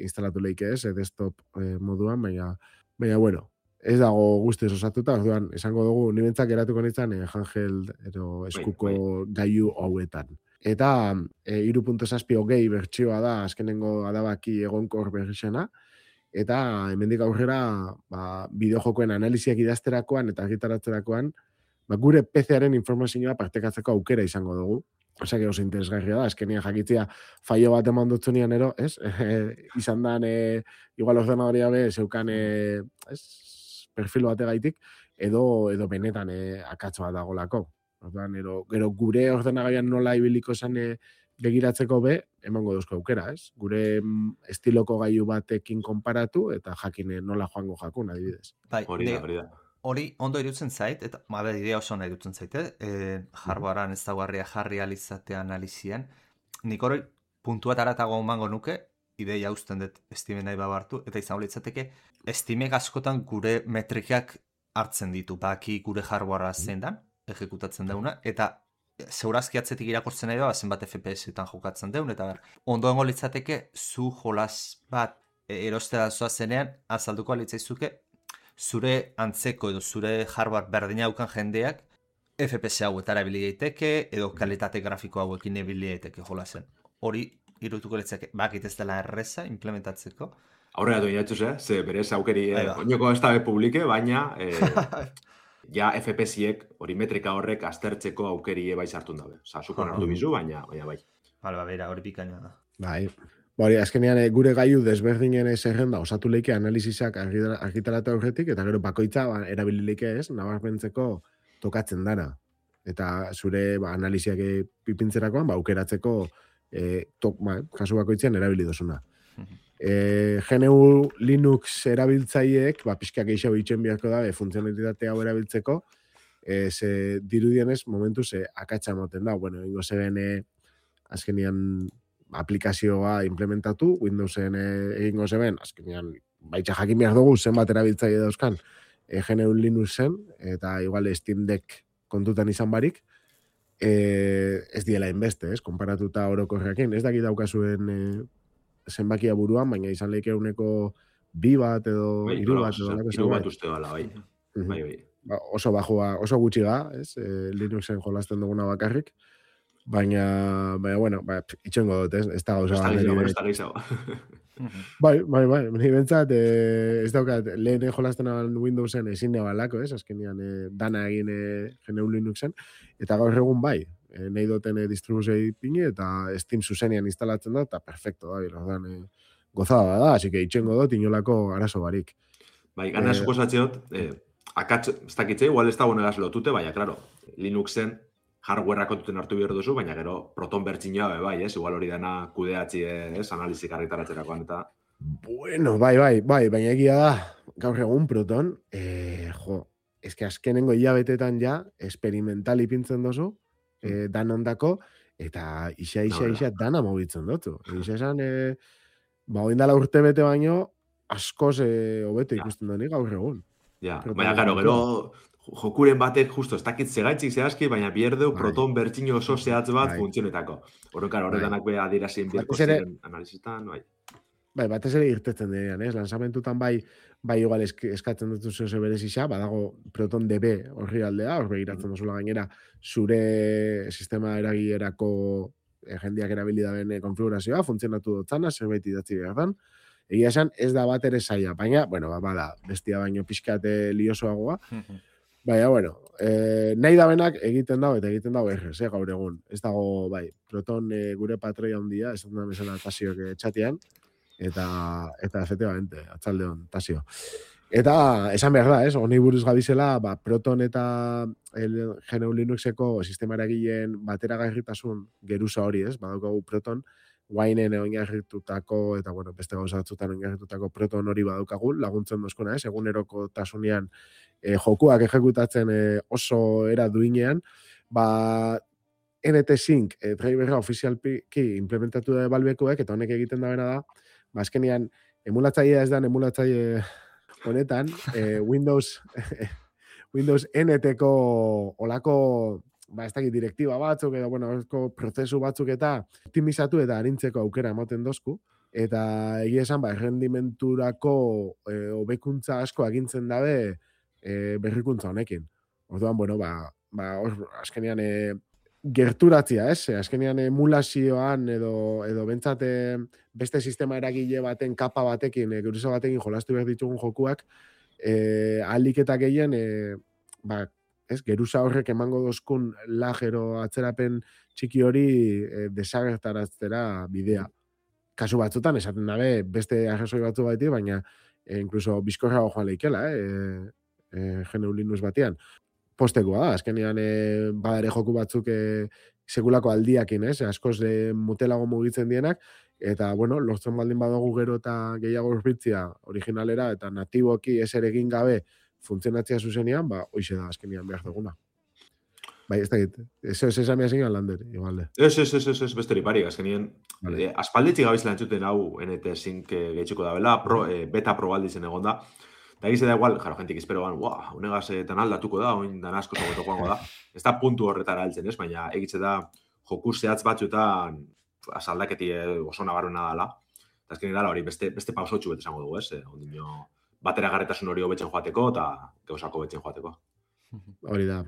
instalatu leike ez, e, desktop e, moduan, baina, baina, bueno, ez dago guztiz osatuta, orduan, esango dugu, nibentzak eratuko nintzen, e, handheld edo eskuko gaiu hauetan. Eta e, hiru puntu zazpi hogei bertsioa da, azkenengo adabaki egonkor berrizena, eta hemendik aurrera ba, bideojokoen analiziak idazterakoan eta argitaratzerakoan, ba, gure P C-aren informazioa partekatzeko aukera izango dugu. Osea, que oso interesgarria da, azkenean jakitzia faio bat eman dutzunean ero, ez? E, izan dan, e, igual ordenadoria be, zeukan, e, ez? Perfil bategaitik, edo, edo benetan e, akatzo bat dagolako. Orduan, ero, gero gure ordenagaian nola ibiliko zen e, begiratzeko be, emango duzko aukera, ez? Gure mm, estiloko gailu batekin konparatu, eta jakine nola joango jakun, adibidez. bai, Hori da, ne- hori da. hori ondo irutzen zait, eta ma, be, idea oso ondo irutzen zait, eh? E, hardwarean ez dagoarria jarri alizatea analizian. Nik hori puntua taratago emango nuke, ideia usten dut Steamen nahi babartu, eta izango litzateke, Steamek askotan gure metrikak hartzen ditu, baki gure hardwarea zein dan, ejekutatzen dauna, eta zeurazki atzetik irakurtzen nahi da, zenbat F P S-etan jokatzen deun, eta ber, ondo engo litzateke, zu jolas bat e, erostea zoa zenean, azalduko alitzaizuke, zure antzeko edo zure hardware berdina daukan jendeak F P S hauetara ebili daiteke, edo kalitate grafiko hauekin ebili daiteke jolasen. Hori irutuko litzake, bakit ez dela erreza implementatzeko. Aurrera duen jatxuz, eh? Ze berez aukeri, Bai eh, da. oinoko ez da publike, baina eh, ja F P S-iek, hori metrika horrek aztertzeko aukeri bai sartun dabe. Osa, zukon hartu bizu, baina, baina bai. Bale, ba, bera, hori bikaina da. Bai. Ba, hori, azkenean e, gure gaiu desberdinen zerrenda osatu leike analizizak argitara- argitaratu aurretik, eta gero bakoitza ba, erabili leike ez, nabarmentzeko tokatzen dana. Eta zure ba, analiziak e, pipintzerakoan, ba, aukeratzeko e, tok, ba, kasu bakoitzean erabili dozuna. E, G N U Linux erabiltzaileek, ba, pixka gehiago itxen beharko da, e, funtzionalitate hau erabiltzeko, e, ze dirudienez momentu ze akatsa moten da. Bueno, ingo zeren e, azkenian aplikazioa implementatu, Windowsen e, egingo zeben, azkenean, baitxa jakin behar dugu zenbat erabiltzaile dauzkan e, G N U Linuxen, eta igual Steam Deck kontutan izan barik, e, ez diela inbeste, ez, konparatuta orokorrekin, ez dakit daukazuen e, zenbakia buruan, baina izan leike uneko bi bat edo Bai, hiru nola, bat edo osea, lako hiru bat zerbait. uste dela, bai. Mhm. Bai, bai. Ba, oso bajua, oso gutxi ga, ez, e, Linuxen jolasten duguna bakarrik, baina, baina, bueno, ba, itxengo dut, ez, ez da gauza Ez da bat gehiago, nire- ez da gehiago. Bai, bai, bai, ni bentsat, eh, ez daukat, lehen jolasten aban Windowsen ezin nebalako, ez, azkenean eh, dana egin eh, G N U Linuxen, eta gaur egun bai, eh, nahi duten eh, distribuzioi pini, eta Steam zuzenean instalatzen da, eta perfecto, bai, ordan, eh, gozada da, así que itxengo dut inolako arazo barik. Bai, gana Eh, suposatzeot, eh, akatz, ez dakitze, igual ez da honegaz lotute, baina, claro, Linuxen hardwarea kontuten hartu behar duzu, baina gero Proton bertxinoa be bai, ez? Igual hori dena kudeatzi, ez? Analizik argitaratzerakoan eta... Bueno, bai, bai, bai, baina egia da, gaur egun Proton, eh, jo, eske azkenengo hilabetetan ja, experimental ipintzen dozu, eh, dan ondako, eta isa, isa, Nola. isa, dana mobitzen dotu. Isa esan, eh, ba, oindala urte bete baino, askoz eh, hobeto Ja. ikusten doni gaur egun. Ja, Proton baina, claro, kontua. gero jokuren batek justo ez dakit zegaitzik zehazki, baina bierdeu Bai. Proton bertxino oso zehatz bat Bai. funtzionetako. Horren, claro, Bai. horretanak be adierazien birko Batez ere- ziren analizistan, bai. Bai, batez ere irtetzen direan, ez? Lanzamentutan bai, bai igual esk, eskatzen dut zeu berezisa, badago Proton D B horri aldea, hor begiratzen duzula gainera, zure sistema eragilerako eh, jendeak erabili daben eh, konfigurazioa, funtzionatu dutzana, zerbait idatzi behar dan. Egia esan, ez da bat ere zaila, baina, bueno, ba, bada, bestia baino pixkate liosoagoa, baina, bueno, eh, nahi dabenak egiten dago, eta egiten dago errez, eh, gaur egun. Ez dago, bai, Proton eh, gure patroia handia, ez da bezala tasioak eh, txatean, eta, eta efectivamente, atzaldeon, tasio. Eta, esan behar da, ez, honi buruz gabizela, ba, Proton eta el G N U Linuxeko sistema eragileen bateragarritasun geruza hori, ez, badaukagu Proton, Winen oinarritutako, eta, bueno, beste gauza batzutan oinarritutako Proton hori badaukagu, laguntzen dozkuna, ez, eguneroko tasunean e, jokuak ejekutatzen e, oso era duinean, ba, N T Sync e, driverra ofizialki implementatu da balbekuek, eta honek egiten da bena da, ba, azkenean, emulatzailea ez da emulatzaile honetan, e, Windows Windows N T-ko olako, ba, ez dakit direktiba batzuk, edo, bueno, olako prozesu batzuk eta optimizatu eta arintzeko aukera ematen dozku, eta egia esan, ba, errendimenturako e, hobekuntza asko agintzen dabe e, berrikuntza honekin. Orduan, bueno, ba, ba or, azkenean e, gerturatzia, ez? Azkenean emulazioan edo, edo bentsat e, beste sistema eragile baten kapa batekin, e, geruza batekin jolastu behar ditugun jokuak, e, ahalik eta gehien, e, ba, ez, geruza horrek emango dozkun lajero atzerapen txiki hori e, desagertaratzera bidea. Kasu batzutan, esaten dabe, beste arrazoi batzu baiti, baina e, inkluso bizkorrago joan leikela, eh? E, G N U Linux batean. Postekoa da, azkenean e, badare joku batzuk e, sekulako aldiakin, ez? Askoz e, mutelago mugitzen dienak, eta, bueno, lortzen baldin badugu gero eta gehiago urbitzia originalera, eta natiboki eser egin gabe funtzionatzea zuzenean, ba, hoize da azkenean behar duguna. Bai, ez da git, ez ez esan behar zingan lander, igualde. Ez, ez, ez, ez, ez, beste parik, azkenien, Vale. eh, aspaldetxik gabizela entzuten hau N T Sync eh, gehitxuko da bela, pro, eh, beta probaldizen egon da, eta egize da igual, jaro, jentik espero ban, uah, unegaz eh, tan aldatuko da, oin dan asko zagoeto joango da, ez da puntu horretara altzen, ez, baina egitze da joku zehatz batzuetan azaldaketi eh, oso nabarruna dala, eta azkenean dala hori beste, beste pausotxu bet esango dugu, ez, eh, ondino, bateragarretasun hori hobetzen joateko eta gauzako hobetzen joateko. Hori da.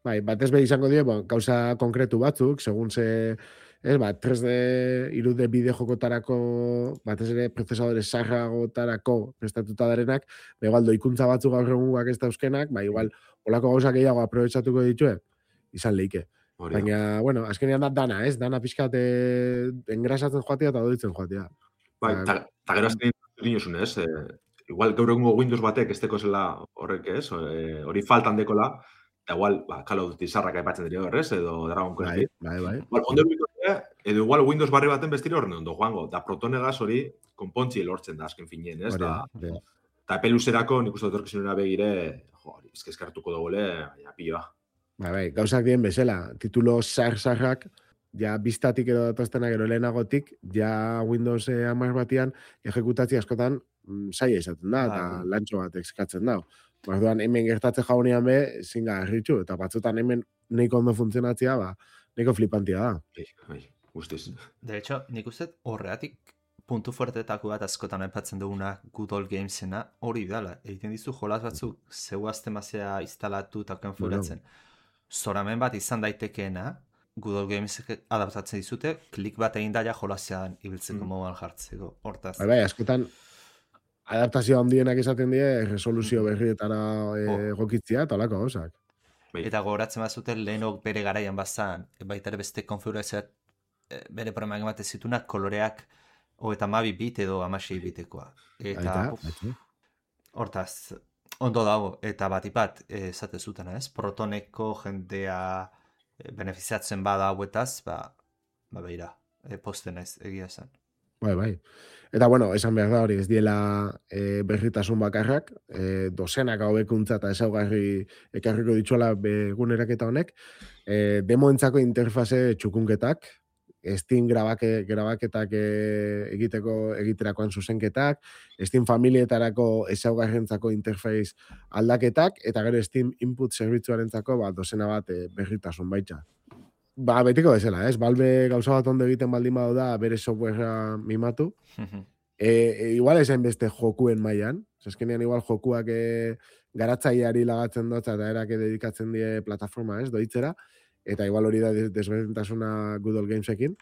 Bai, batez be izango die, ba, gauza konkretu batzuk, segun ze, ez, ba, tres D, hiru D bideo jokotarako, batez ere prozesadore sarragotarako prestatuta darenak, ba, igual doikuntza batzuk gaur egungoak ez dauzkenak, ba, igual, olako gauzak gehiago aprobetsatuko ditue, izan leike. Hori da. Baina, bueno, azkenean da dana, ez? Dana pixkat eh, engrasatzen joatea eta doditzen joatea. Bai, Ba, eta gero azkenean dinozun, ez? Eh, igual gaur egungo Windows batek ez teko zela horrek, ez? Eh, hori faltan dekola, eta igual, ba, Call of Duty sarrak aipatzen dira horrez, edo Dragon Quest. bai, bai, bai. Igual, ondo ere, edo igual Windows barri baten bestire horren ondo joango, da protonegaz hori konpontzi lortzen da azken finien, ez? Hori Da, da, hori da. eta epe luzerako nik uste etorkizunera begire, jo, hori, eskezkartuko dugule, baina piloa. Bai, bai, gauzak dien bezala, titulo zar-zarrak, ja biztatik edo datoztenak gero lehenagotik, ja Windows hamar batian ejekutatzi askotan mm, zaila izaten da, eta Bai. lantxo bat eskatzen da. Orduan hemen gertatzen jaunean be, zinga erritxu, eta batzutan hemen nahiko ondo funtzionatzea, ba, nahiko flipantia da. Bai, bai, guztiz. De hecho, nik uste horreatik puntu fuertetako bat askotan aipatzen duguna Good Old Gamesena hori dala. Egiten dizu jolas batzuk zeu aztemazea instalatu eta konfiguratzen. Zoramen bat izan daitekeena, Good Old Games adaptatzen dizute, klik bat egin daia jolasean ibiltzeko Mm. moduan jartzeko. Hortaz. Bai, bai, askotan adaptazio handienak esaten die, resoluzio berrietara e, Oh. egokitzia, eta olako gauzak. Bai. Eta gogoratzen bazuten lehenok bere garaian bazan, baita ere beste konfigurazioak eh, bere problemak ematen zitunak koloreak hogeita hamabi bit edo hamasei bitekoa. Eta, Aita, uf, aita. hortaz, ondo dago, eta batipat, eh, esate zutena, ez? Protoneko jendea eh, benefiziatzen bada hauetaz, ba, ba beira, eh, posten naiz, egia esan. Bai, bai. Eta, bueno, esan behar da hori, ez diela e, berritasun bakarrak, e, dozenak hobekuntza eta ezaugarri ekarriko ditzuela beguneraketa honek, e, demoentzako interfaze txukunketak, Steam grabake, grabaketak e, egiteko egiterakoan zuzenketak, Steam familietarako ezaugarrentzako interface aldaketak, eta gero Steam input zerbitzuarentzako ba, dozena bat e, berritasun baita. Ba, betiko bezala, ez? Balbe gauza bat ondo egiten baldin badu da bere softwarea mimatu. E, e, igual esain beste jokuen mailan. Azkenean igual jokuak e, garatzaileari lagatzen dut eta erake dedikatzen die plataforma, ez? Doitzera. Eta igual hori da desberdintasuna Good Old Gamesekin.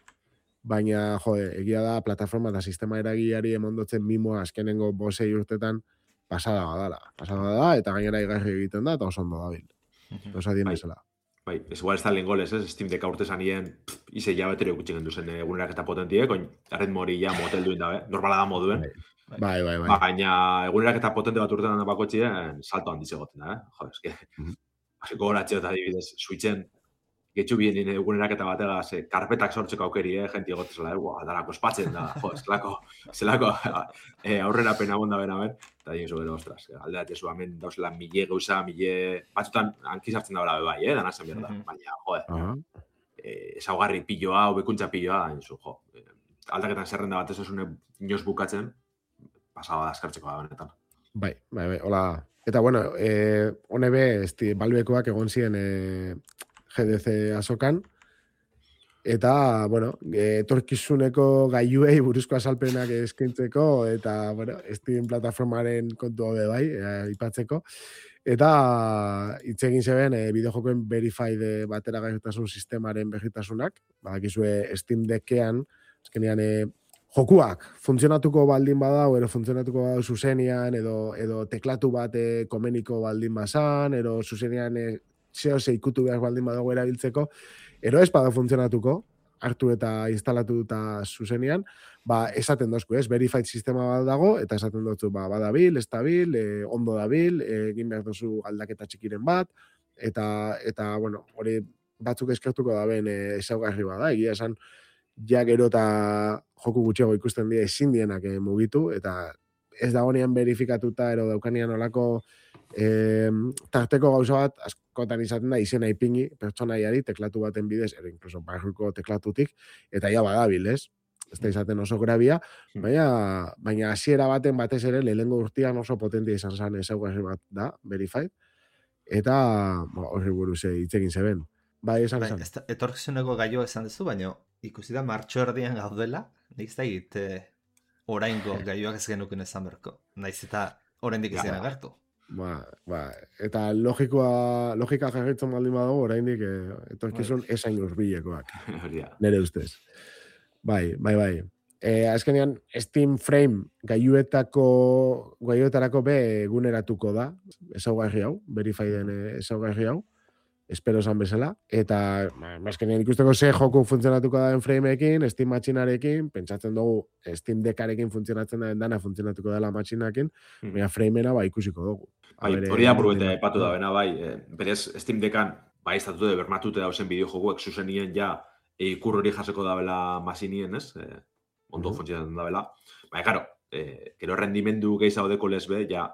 Baina, jo, egia da plataforma eta sistema eragileari emondotzen mimoa azkenengo bosei urtetan pasada badala. Pasada da eta gainera igarri egiten da eta oso ondo dabil. Osa dien Bai. bezala. Bai, ez igual ez da lehen golez, ez? Steam Deck aurte zanien, ize jabetero gutxi gendu zen egunerak eta potentiek, oin, arretmo hori ja motel duin dabe, normala da moduen. Bai, bai, bai. Baina egunerak eta potente bat urtean bakotxien, salto handiz egoten da, eh? Jo, eske, Mhm. gogoratzeo eta adibidez, switchen, getxu bien egunerak eta batega, ze, karpetak sortzeko aukeri, eh? Genti egotzela, eh? Buah, darako espatzen da, jo, zelako, zelako eh, aurrera pena bonda bena ben, eta dien gero, ostras, alde bat ezu hemen dauzela mile gauza, mile, batzutan hankizartzen da bela bai, eh? Dana zen behar da, Mhm. baina, joe, Aha. eh, ezaugarri piloa, hobekuntza piloa, enzu, jo, eh, aldaketan zerrenda bat ez esune inoz bukatzen, pasaba da eskartzeko da benetan. Bai, bai, bai, hola. Eta, bueno, eh, hone be, esti, balbekoak egon ziren eh, G D C azokan, eta, bueno, eh, etorkizuneko gailuei buruzko azalpenak eskaintzeko, eta, bueno, Steam plataformaren kontu hobe bai, eh, ipatzeko. Eta hitz egin zeben e, bideojokoen verified e, bateragarritasun sistemaren berritasunak, badakizue Steam Deckean, azkenean e, jokuak funtzionatuko baldin badau, edo funtzionatuko badau zuzenian, edo, edo teklatu bat e, komeniko baldin bazan, edo zuzenian e, zeo zeikutu behar baldin badago erabiltzeko, edo ez bada funtzionatuko, hartu eta instalatu eta zuzenian, ba, esaten dozku, ez, verified sistema bat dago, eta esaten dutzu, ba, badabil, estabil, e, ondo dabil, e, egin behar duzu aldaketa txikiren bat, eta, eta bueno, hori batzuk eskertuko da ben e, ezaugarri bada, egia esan, ja gero eta joku gutxiago ikusten dira ezin dienak e, mugitu, eta ez dagoenean verifikatuta, ero daukanean olako e, tarteko gauza bat, askotan izaten da, izena ipingi, pertsonaiari, teklatu baten bidez, ero inkluso barruko teklatutik, eta ja badabil, ez? Ez da izaten oso grabia, baina baina hasiera baten batez ere lehengo urtean oso potentia izan zen ezaugarri bat da, verified, eta ba, horri buruz hitz egin zeben. Bai, esan Bai, esan. ez da- etorkizuneko gaio esan duzu, baina ikusi da martxo erdian gaudela, nik ez da egit eh, oraingo gaioak ez genuken esan berko. Naiz eta oraindik ez Ja. dena gertu. Ba, ba, eta logikoa, logika jarritzen baldin badago, oraindik eh, etorkizun esain hurbilekoak. Hori da. Nere ustez. Bai, bai, bai. E, azkenean, Steam Frame gaiuetako, gaiuetarako be eguneratuko da, ezaugarri hau, verifieden ezaugarri hau, espero esan bezala, eta ba, azkenean ikusteko ze joku funtzionatuko da den frameekin, Steam matxinarekin, pentsatzen dugu Steam Deckarekin funtzionatzen da dana funtzionatuko dela matxinakin, Mm. baina frameena ba ikusiko dugu. Bai, A bere- hori da buruete epatu da bena, bai, eh, berez Steam Deckan, bai, estatute bermatute dauzen bideojokuek zuzenien ja e, ikur hori jaseko dabela masinien, ez? Eh, ondo Mhm. funtzionatzen dabela. Baina, karo, eh, gero rendimendu gehiago deko lesbe, ja,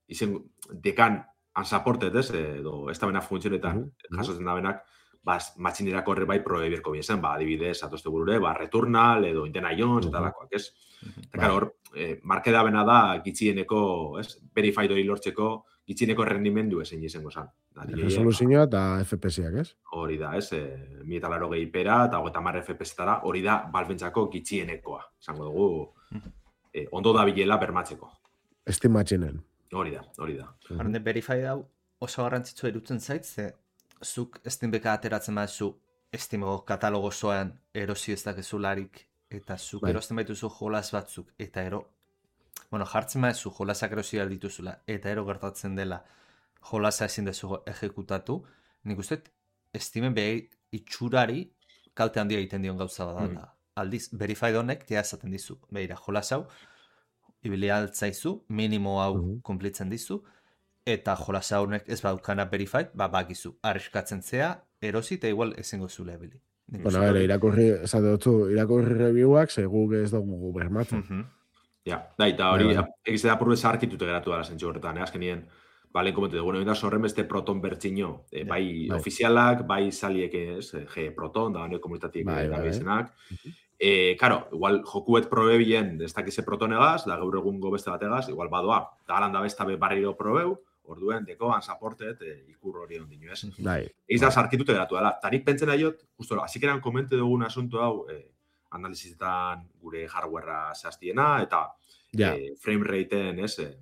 izen dekan unsupported, ez? Edo ez da bena funtzionetan Mhm, mhm. jasotzen da benak, bas, matxinerako horre bai probe berko biezen, ba, adibidez, atoste burure, ba, Returnal, edo Indiana Jones, eta lakoak, ez? Eta, karo, hor, eh, markeda bena da, gitxieneko, ez, verified hori lortzeko, gitxieneko rendimendu ezen izango zan. Resoluzioa eta F P S-ak, ez? Hori da, ez, e, mi eta laro gehi pera, eta hogeita hamar F P S-tara, hori da, balbentzako gitxienekoa. Esango dugu, e, ondo da bilela bermatzeko. Estimatxinen. Hori da, hori da. Horren, verified hau oso garrantzitsua irutzen zait, ze zuk Steambeka ateratzen baduzu Steameko katalogo zoan erosi ez dakezularik, eta zuk Bai. erosten baituzu jolas batzuk, eta ero, bueno, jartzen baduzu jolasak erosi behar dituzula, eta ero gertatzen dela jolasa ezin dezu ejekutatu, nik uste Steamen behi itxurari kalte handia egiten dion gauza bada. Mm. Aldiz, verified honek ja esaten dizu, behira, jolas hau, ibili altzaizu, minimo hau Mhm. konplitzen dizu, eta jolas haunek ez badukana verified, ba, bakizu, arriskatzen zea, erosi, eta igual ezingo zula ebili. Nik Bueno, uste ere, hori- irakurri, esate dutzu, irakurri reviewak, segu ez dugu bermatzen. Mhm. Ja, da, eta hori, Bai, bai. egize da purbe zaharkitute geratu dara zentzu horretan, eh? Azkenien, ba, lehen komentu dugu, bueno, horren beste proton bertxino, eh, bai, bai. ofizialak, bai saliek, ez, eh, G proton, da, hone komunitatiek Bai, bai, bai. erabiltzenak. Eh, karo, igual, jokuet probe bien, ez dakize protonegaz, da gaur egungo beste bategaz, igual badoa, da galan da besta be barriro probeu, orduen, dekoan, zaportet, eh, ikur hori ondino, ez? Bai. Eiz da, sarkitute geratu dela. Tarik pentzen aiot, justo, azikeran komente dugun asunto hau, eh, analizizetan gure hardwarea zehaztiena, eta Ja. eh, frame rateen, ez, eh,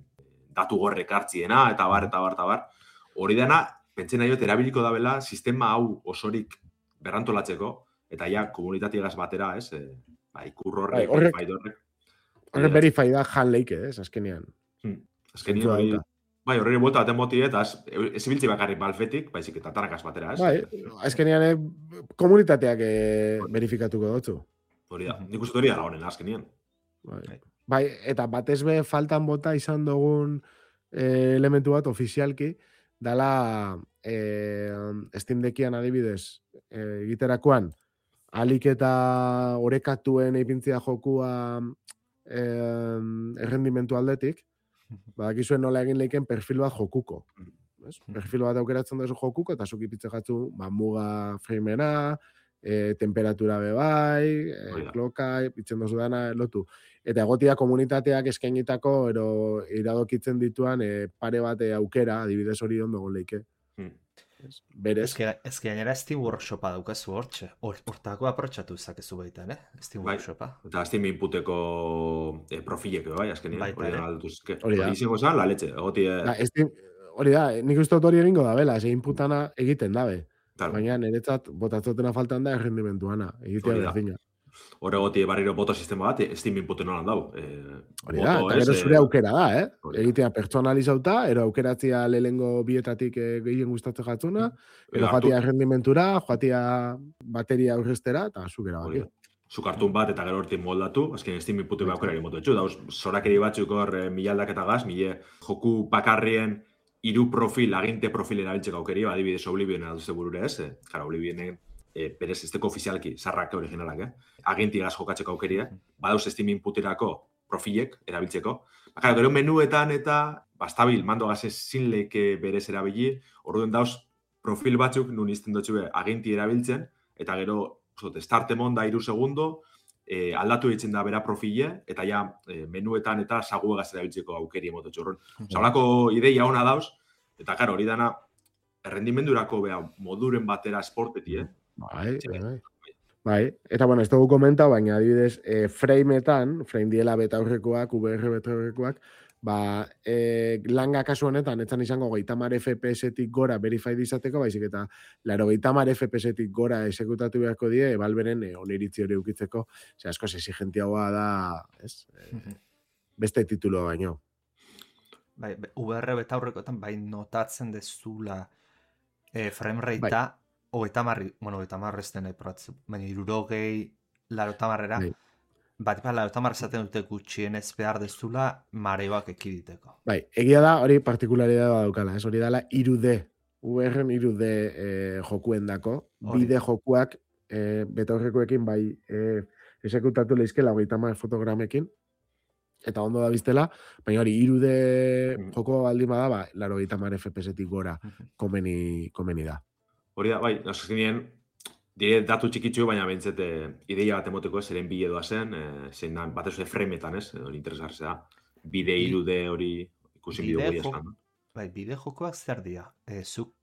datu gorrek hartziena, eta bar, eta bar, eta bar. Hori dena, pentzen aiot, erabiliko dabela, sistema hau osorik berrantolatzeko, eta ja, komunitatiegaz batera, ez, eh, ba, ikur Bai, horrek, horrek- verified horrek. Horre verify da jan leike, ez, azkenean. Hmm. Azkenien Zentzua hori, dauka. bai, horreri buelta baten moti, eta ez, ez ibiltzi bakarrik balfetik, baizik eta tarakaz batera, ez? Bai, azkenean eh, komunitateak eh, verifikatuko dutzu. Hori da, nik uste hori da honen azkenien. Bai. Bai, eta batez be faltan bota izan dugun eh, elementu bat ofizialki, dala eh, Steam Deckian adibidez eh, egiterakoan, alik eta orekatuen eipintzia jokua eh, errendimentu aldetik, badakizuen nola egin leiken perfil bat jokuko. Ez? Perfil bat aukeratzen duzu jokuko, eta zuk ipitze jatzu, ba, muga framena, e, temperatura bebai, e, Hori da. kloka, itzen dozu dana, lotu. Eta egotia komunitateak eskainitako, ero iradokitzen dituan e, pare bat e, aukera, adibidez hori ondo gon leike. Hmm. Ez, Berez. Ez que, ez que gainera Steam Workshopa daukazu hortxe. Hor, hortako aprotxatu zakezu baitan, eh? Steam Bai. Workshopa. Eta Steam inputeko eh, profilek, bai, azkenien. Baita Hori ere. da, alduz, que, Hori da. hori izango zan, la leche. Egoti, eh, Da, Steam, hori da, nik uste dut hori egingo da, bela, ze inputana egiten dabe. claro, Baina niretzat botatzotena faltan da errendimentuana, egitea Hori da. berdina. hor egoti barriro boto sistema bat, eh, Steam inputen nolan dau. Eh, Hori da, boto, eta ez, gero eh, zure aukera da, eh? hori da. Egitea pertsonalizauta, ero aukeratzia lehengo bietatik eh, gehien gustatzen jatzuna, ero hartu- joatia errendimentura, joatia bateria aurreztera, eta zukera hori baki. da. Zu kartun bat eta gero hortik moldatu, azken Steam inputu behar aukera motu etxu, dauz, zorakeri batzuk hor eh, milak eta gaz, mile joku bakarrien hiru profil, aginte profil erabiltzeko aukeri, adibidez Oblivion aduzte burure ez, eh? Jara, Oblivionen eh, berez esteko ofizialki, zarrak originalak, eh? Agintigaz jokatzeko aukeria, badauz Steam inputerako profilek erabiltzeko. Bakara, gero menuetan eta bastabil, mando gaz ezin leike berez erabili, orduen dauz profil batzuk nun izten dutxue aginti erabiltzen, eta gero zot, start emon da iru segundo, eh, aldatu ditzen da bera profile, eta ja eh, menuetan eta saguegaz erabiltzeko aukeri emototxo. Horren, Osa, holako ideia ona dauz, eta karo, hori dana, errendimendurako bea moduren batera esporteti, eh? Bai, Sí. bai. Bai, eta bueno, ez dugu komentau, baina adibidez, e, frameetan, frame diela beta aurrekoak, V R beta aurrekoak, ba, e, langa kasu honetan, etzan izango geita mar F P S-tik gora verified izateko, baizik eta laro geita mar F P S-tik gora esekutatu beharko die, Valveren e, oniritzi hori ukitzeko, ze asko exigentiagoa da, ez? E, beste titulo baino. Bai, be- V R beta aurrekoetan bai notatzen dezula eh, frame ratea hogeita marri, bueno, hogeita marri ez den nahi probatzu, baina irurogei larota marrera, Bai. bat ipa larota marra esaten dute gutxienez behar dezula mareoak ekiditeko. Bai, egia da, hori partikularidadea daukala, ez hori dala irude, V R-en irude e, jokuen dako, Hori. bide jokuak e, beta aurrekoekin bai e, esekutatu leizkela hogeita hamar fotogramekin, eta ondo da biztela, baina hori irude Mm. joko baldin bada, ba, laro hogeita hamar F P S-tik gora Mhm. komeni, komeni da. Hori da, bai, azkenien, dire datu txikitzu, baina behintzet ideia bat emoteko zeren bide doa zen, e, zein da, batez ere frameetan, ez, hori interesgartzea. Bide Bi- irude hori ikusi bideo Bide goi jo- estan. Bai, bide jokoak zer dira? E, zuk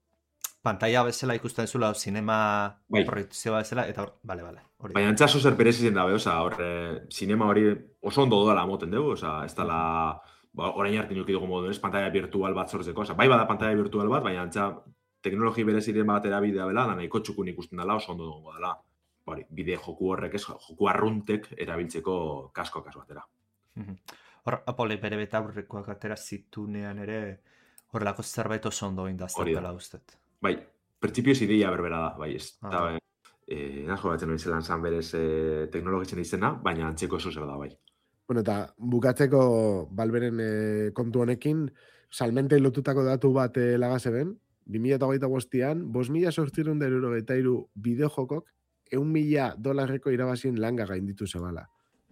pantalla bezala ikusten zula, zinema Bai. proiektzioa bezala, eta hor, bale, bale. Hori. Baina antza zer berezi zen dabe, oza, hor, e, sinema hori oso ondo doala moten dugu, oza, ez dala, ba, orain arte nuki dugu modu, ez, pantalla virtual bat sortzeko, oza, bai bada pantalla virtual bat, baina antza teknologi bereziren bat erabidea bela, da nahiko txukun ikusten dela, oso ondo dugu dela. Hori, bide joku horrek, ez, joku arruntek erabiltzeko kasko kasu batera. Mhm. Hor, Apple bere betaurrekoak atera zitunean ere, horrelako zerbait oso ondo Hori indaztela da. ustet. Bai, printzipioz ideia berbera da, bai, ez. Ah. Eta, eh, nasko batzen hori zelan zan berez eh, teknologitzen izena, baina antzeko oso zer da, bai. Bueno, eta bukatzeko Valveren eh, kontu honekin, salmentei lotutako datu bat eh, lagazeben, bi mila hogeita bostean, bost mila sortzireun da hirurogeita hiru bideojokok, eun mila dolarreko irabazien langa gainditu zebala.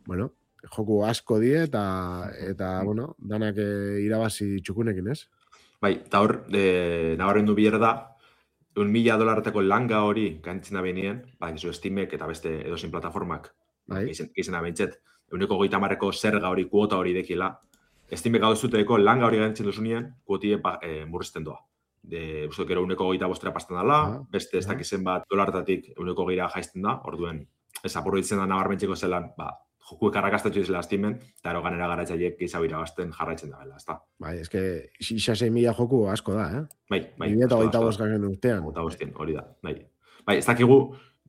Bueno, joku asko die eta, eta bueno, danak eh, irabazi txukunekin, ez? Bai, eta hor, e, nabarrendu bier da, un mila dolarteko langa hori gaintzen da benien, ba, gizu Steamek eta beste edozein plataformak, Bai. gizena da behintzet, euneko goita marreko zerga hori, kuota hori dekila, Steamek hau zuteko langa hori gaintzen duzunien, kuotie ba, e, murrizten doa. De, uste gero euneko goita bostera pastan dela, Ah, beste ez ah. dakizen bat dolartatik euneko geira jaizten da, orduen, ez apurritzen da nabarmentzeko zelan, ba, jokuek arrakastatxo izela Steamen, eta ero ganera garatzaiek gehiago irabazten jarraitzen da bela, ez da. Bai, eske, isa sei mila joku asko da, eh? Bai, bai. Bi mila asko da, hogeita asko da. bost garen urtean. Eta bostien, hori da, bai. Bai, ez dakigu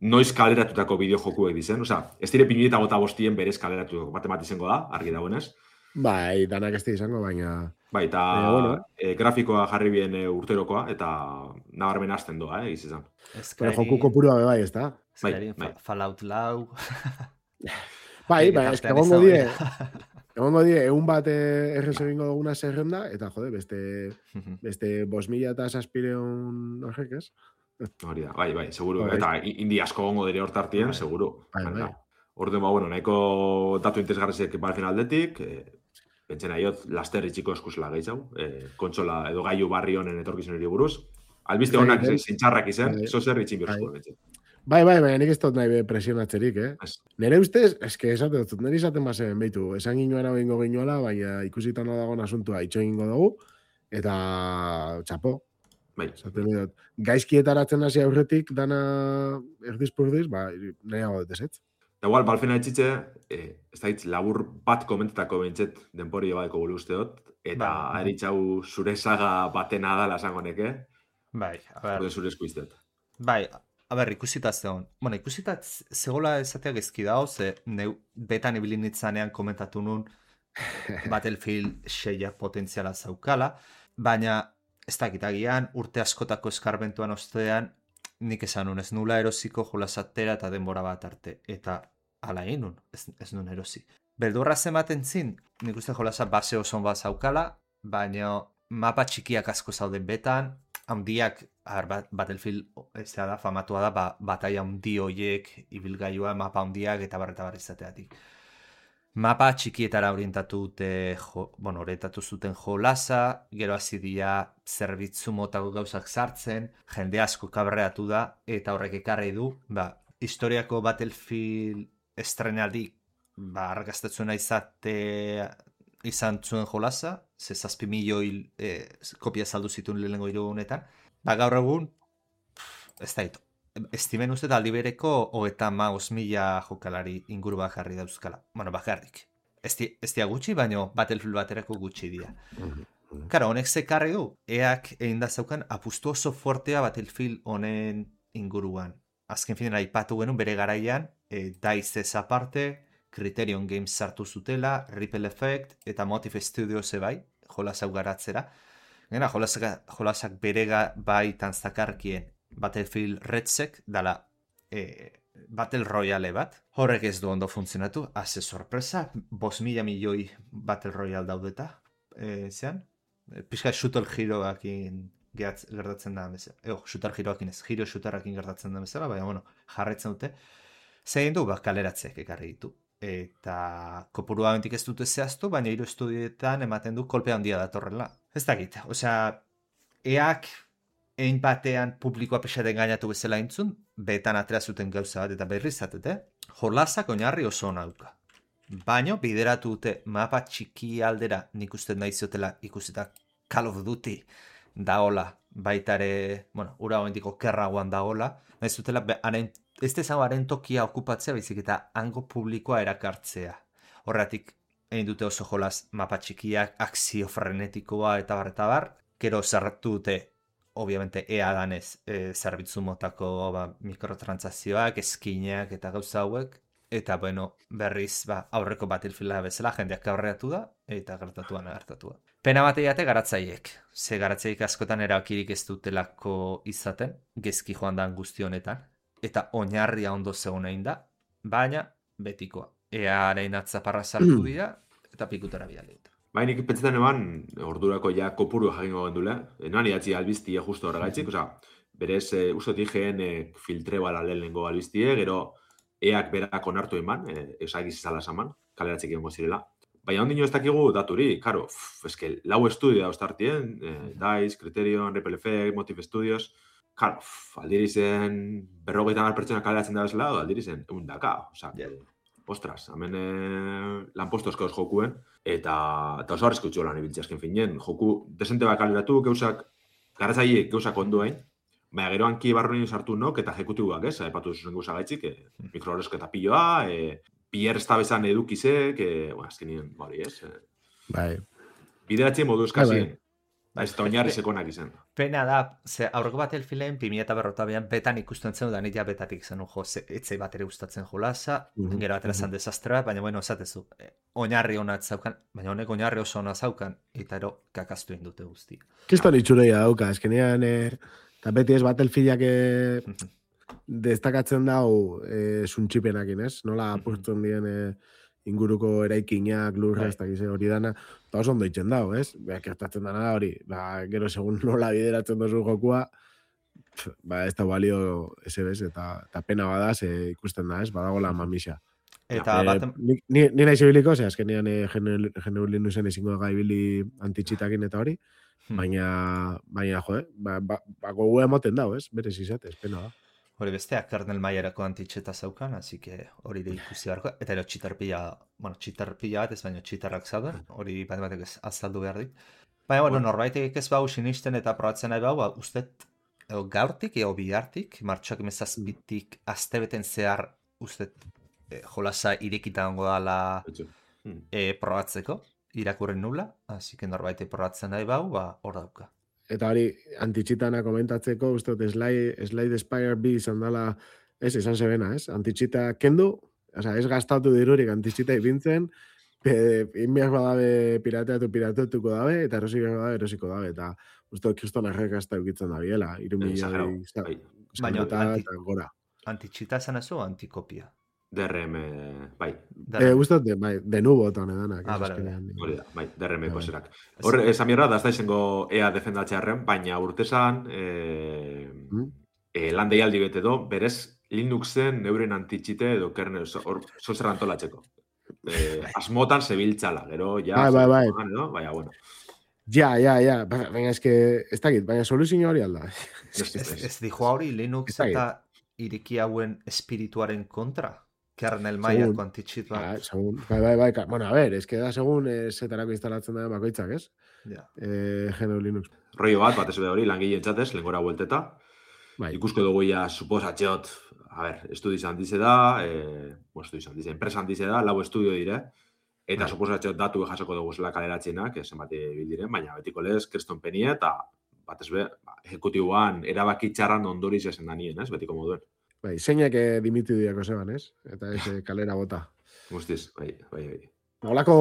noiz kaleratutako bideojokuek dizen, osea, ez dire bi mila hogeita bostien berez kaleratutako bat emat izango da, argi dagoenez. Bai, danak ez da izango, baina... Bai, eta Eh, bueno. e, grafikoa jarri bien e, urterokoa, eta nabarmen hasten doa, eh, izan. Baina joku kopurua be bai, ez da? Skyrim, bai. Fa- Fallout lau. Bai, Nik baina eske tartean egongo izango die, dira. egongo die, egun bat eh, errez egingo duguna zerrenda, eta jode, beste, beste bost mila eta saspireun horrek, ez? Hori da, bai, bai, seguru. Bai. Eta i- indi asko gongo dire hortartien, Bai. seguru. Bai, Baina, bai. Orduan, ba, bueno, nahiko datu interesgarrizek balfen aldetik, e, pentsena iot, laster itxiko eskusela gehiago, e, kontsola edo gailu barri honen etorkizunari buruz. Albiste Bai, honak bai. zintxarrak izan, Bai. zo zer itxin Bai. behar zuen. Bai, bai, baina nik ez dut nahi be presionatzerik, eh? Ez. Nere ustez, eske esate dut, nire izaten bazen behitu, esan ginoan hau ingo ginoala, baina ikusitan dagoen asuntua itxo egingo dugu, eta txapo, Bai, esaten dut, gaizkietaratzen hasi aurretik dana erdizpurdiz, ba, nahiago dut ez, ez? Eta igual, balfena etxitze, eh, ez da hitz, labur bat komentetako behintzet denpori badeko bulu usteot, eta Bai. aritxau zure saga batena da lasango neke, Bai, a ber, orde zure eskuiztet. bai, a ber, ikusita zegoen. Bueno, ikusita z- zegoela esatea gezki dago, ze neu betan ibili nitzanean komentatu nun Battlefield seiak potentziala zaukala, baina ez dakit agian urte askotako eskarbentuan ostean nik esan nun, ez nula erosiko jolasatera eta denbora bat arte. Eta ala egin nun, ez, ez nun erosi. Beldurra zematen zin, nik uste jolasa base oso bat zaukala, baina mapa txikiak asko zauden betan, handiak, ar, bat, Battlefield ez da, famatua da, ba, bataia handi hoiek, ibilgailua, mapa handiak eta barreta barri izateatik. Mapa txikietara orientatu dute, jo, bueno, orientatu zuten jolasa, gero hasi dira zerbitzu motako gauzak sartzen, jende asko kabreatu da, eta horrek ekarri du, ba, historiako Battlefield estrenaldi, ba, arrakastatzuna izate izan zuen jolasa, ze zazpi milioi eh, kopia saldu zituen lehenengo hiru egunetan, ba, gaur egun, pff, ez da ito. Estimen uste aldi bereko hogeita hamabost mila jokalari inguru bakarri dauzkala. Bueno, bakarrik. Ez di- ez dia gutxi, baino Battlefield baterako gutxi dira. Karo, honek zekarri du, eak egin da zaukan apustu oso fortea Battlefield honen inguruan. Azken finean aipatu genuen bere garaian, e, DICE ez aparte, Criterion Games sartu zutela, Ripple Effect eta Motive Studios ebai, jolasau garatzera. Gena, jolasak, jolasak bere ga- bai tanzakarkien Battlefield Redsec dala e, Battle Royale bat. Horrek ez du ondo funtzionatu, haze sorpresa, bost mila milioi Battle Royale daudeta, e, zean. E, Pixka shooter heroakin gehatz, gertatzen da bezala. Ego, shooter heroakin ez, hero shooterrakin gertatzen da bezala, baina, bueno, jarretzen dute. Zein du, ba, kaleratzeak ekarri ditu. Eta kopurua bentik ez dute zehaztu, baina hiru estudioetan ematen du kolpe handia datorrela. Ez dakit, osea, eak ein batean publikoa pixaten gainatu bezala intzun, betan atera zuten gauza bat, eta berriz zatete, jolasak oinarri oso ona dauka. Baina, bideratu dute mapa txiki aldera nik uste nahi ziotela ikusita Call of Duty daola, baitare, bueno, ura hoendiko kerragoan daola, nahi zutela, ez dezango haren tokia okupatzea, baizik eta hango publikoa erakartzea. Horretik, egin dute oso jolas mapa txikiak, akzio frenetikoa eta bar, eta bar, gero zerratu dute, obviamente, ea danez, e, zerbitzu motako ba, mikrotransazioak, eskinak eta gauza hauek, eta, bueno, berriz, ba, aurreko Battlefielda bezala, jendeak aurreatu da, eta gertatuan gertatua. Pena bat eiate garatzaiek, ze garatzaiek askotan erakirik ez dutelako izaten, gezki joan da guzti honetan, eta oinarria ondo zegoen egin da, baina betikoa. Earen atzaparra sartu dira, eta pikutara bialeta. Bai, nik pentsetan eban, ordurako ja kopuru jakingo gendule, noan idatzi albiztie justo horregaitzik, oza, berez, e, ustot igen e, filtre bala lehenengo albiztie, gero eak berak onartu eman, e, esagiz izala esaman, kaleratzik egongo zirela. Baina ondino ez dakigu daturi, karo, eske, lau estudio da ostartien, e, DICE, Criterion, Ripple Effect, Motive Studios, karo, aldirizen berrogeita mar pertsona kaleratzen da bezala, aldirizen egun daka, oza, yeah. Ostras, hemen eh, lanposto eskoz jokuen, eta, eta oso arriskutxo lan ibiltzea azken finen. Joku desente bat kaleratu, geuzak, garatzaiek geuzak ondoen, baina gero hanki barronin sartu nok, eta ejekutibuak, ez, epatu zuzen gauza gaitzik, e, mikroorezketa piloa, e, Pierre estabezan edukizek, e, bueno, azken nien, bari, ez. E, bai. Bideratzen modu eskazien. Ba, ez da oinarri sekonak izan. Pena da, ze aurreko Battlefielden bi mila berrogeita betan ikusten zen, da nita betatik zen, jo, etzei bat ere gustatzen jolasa, mm-hmm. gero batera zan desastre bat, baina bueno, esatezu, oinarri hona zaukan, baina honek oinarri oso ona zaukan, eta ero kakaztu indute guzti. Kiston itxureia dauka, eskenean, eta beti ez Battlefieldak destakatzen dau e, suntxipenakin, ez? Nola apurtzen dien e, inguruko eraikinak, lurra, ez dakize hori dana, eta oso ondo itxen dago, ez? Beak gertatzen dana da hori, ba, gero segun nola bideratzen dozu jokua, ba, ez da balio ese bez, eta, eta pena bada, ze ikusten da, ez? Badagola mamisa. Eta e, bat... Ni, ni nahi zibiliko, ze azkenean e, geneulin duzen ezingo gaibili antitxitakin eta hori, baina, baina, jo, eh? Ba, ba, ba gogu emoten dago, ez? Berez izatez, pena da. Hori besteak kernel maiarako antitxeta zaukan, así que hori da ikusi beharko, eta ero txitarpila, bueno, txitarpila bat ez baino txitarrak zauden, hori bat batek ez azaldu behar dit. Baina, bueno, norbaitek ez bau sinisten eta probatzen nahi bau, ba, ustet, edo gaurtik, edo bihartik, martxoak emezazpitik astebeten zehar, ustet, e, jolasa irekita ongo dala e, probatzeko, irakurren nula, así que norbaitek probatzen nahi bau, ba, hor dauka. Eta hori, antitxitana komentatzeko, uste, Slide, Slide Spire bi izan dela, ez, izan zebena, ez? Antitxita kendu, oza, ez gastatu dirurik antitxita ipintzen, inbiak badabe pirateatu pirateatuko dabe, eta erosik badabe erosiko dabe, eta uste, kriston errekazta eukitzen da biela, irumilioi baina anti, eta gora. Antitxita esan ez o antikopia? D R M, bai. Eh, Uztot, bai, de nubo eta honedanak. Ah, bale, hori da, bai, D R M-ko zerak. Hor, esan mierda, da ez da izango ea defendatzearen, baina urtesan, eh, mm? eh, lan deialdi bete do, berez Linuxen neuren antitxite edo kernel, hor, zozer antolatzeko. Eh, asmotan zebiltzala, gero, ja, bai, bai, bai. Edo, baina, bueno. Ja, ja, ja, baina eske, ez dakit, baina soluzio hori alda. Ez dijo hori Linux eta iriki hauen espirituaren kontra? Kernel maiako antitxit bat. Segun, bai, bai, bai, bueno, a ver, es que da segun zetarako instalatzen da bakoitzak, ez? Ja. Eh, G N U Linux. Rollo bat, bat ez hori, langile entzatez, lengora buelteta. Bai. Ikusko dugu ja, suposatxeot, a ver, estudiz handize da, eh, bueno, estudiz handize, enpresa handize da, lau estudio dire, eta bai. Suposatxeot datu jasoko dugu zela kaleratzienak, zenbat bildiren, baina betiko lez, kriston penie, eta bat ez be, ejecutiboan, erabaki txarran ondoriz esen da nien, ez, betiko moduen. Bai, zeinak dimitu diako zeban, ez? Eta ez kalera bota. Guztiz, bai, bai, bai. Nolako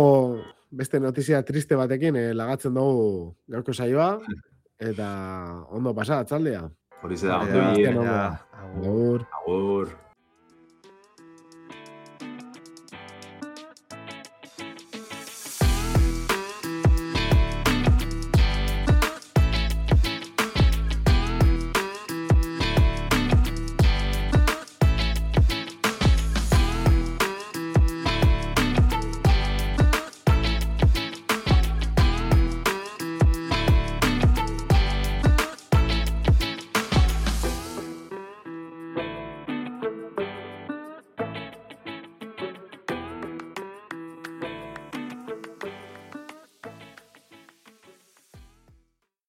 beste notizia triste batekin eh, lagatzen dugu gaurko saioa, eta ondo pasa, atzaldea. Hori ze da, ondo ondo. Agur. Agur.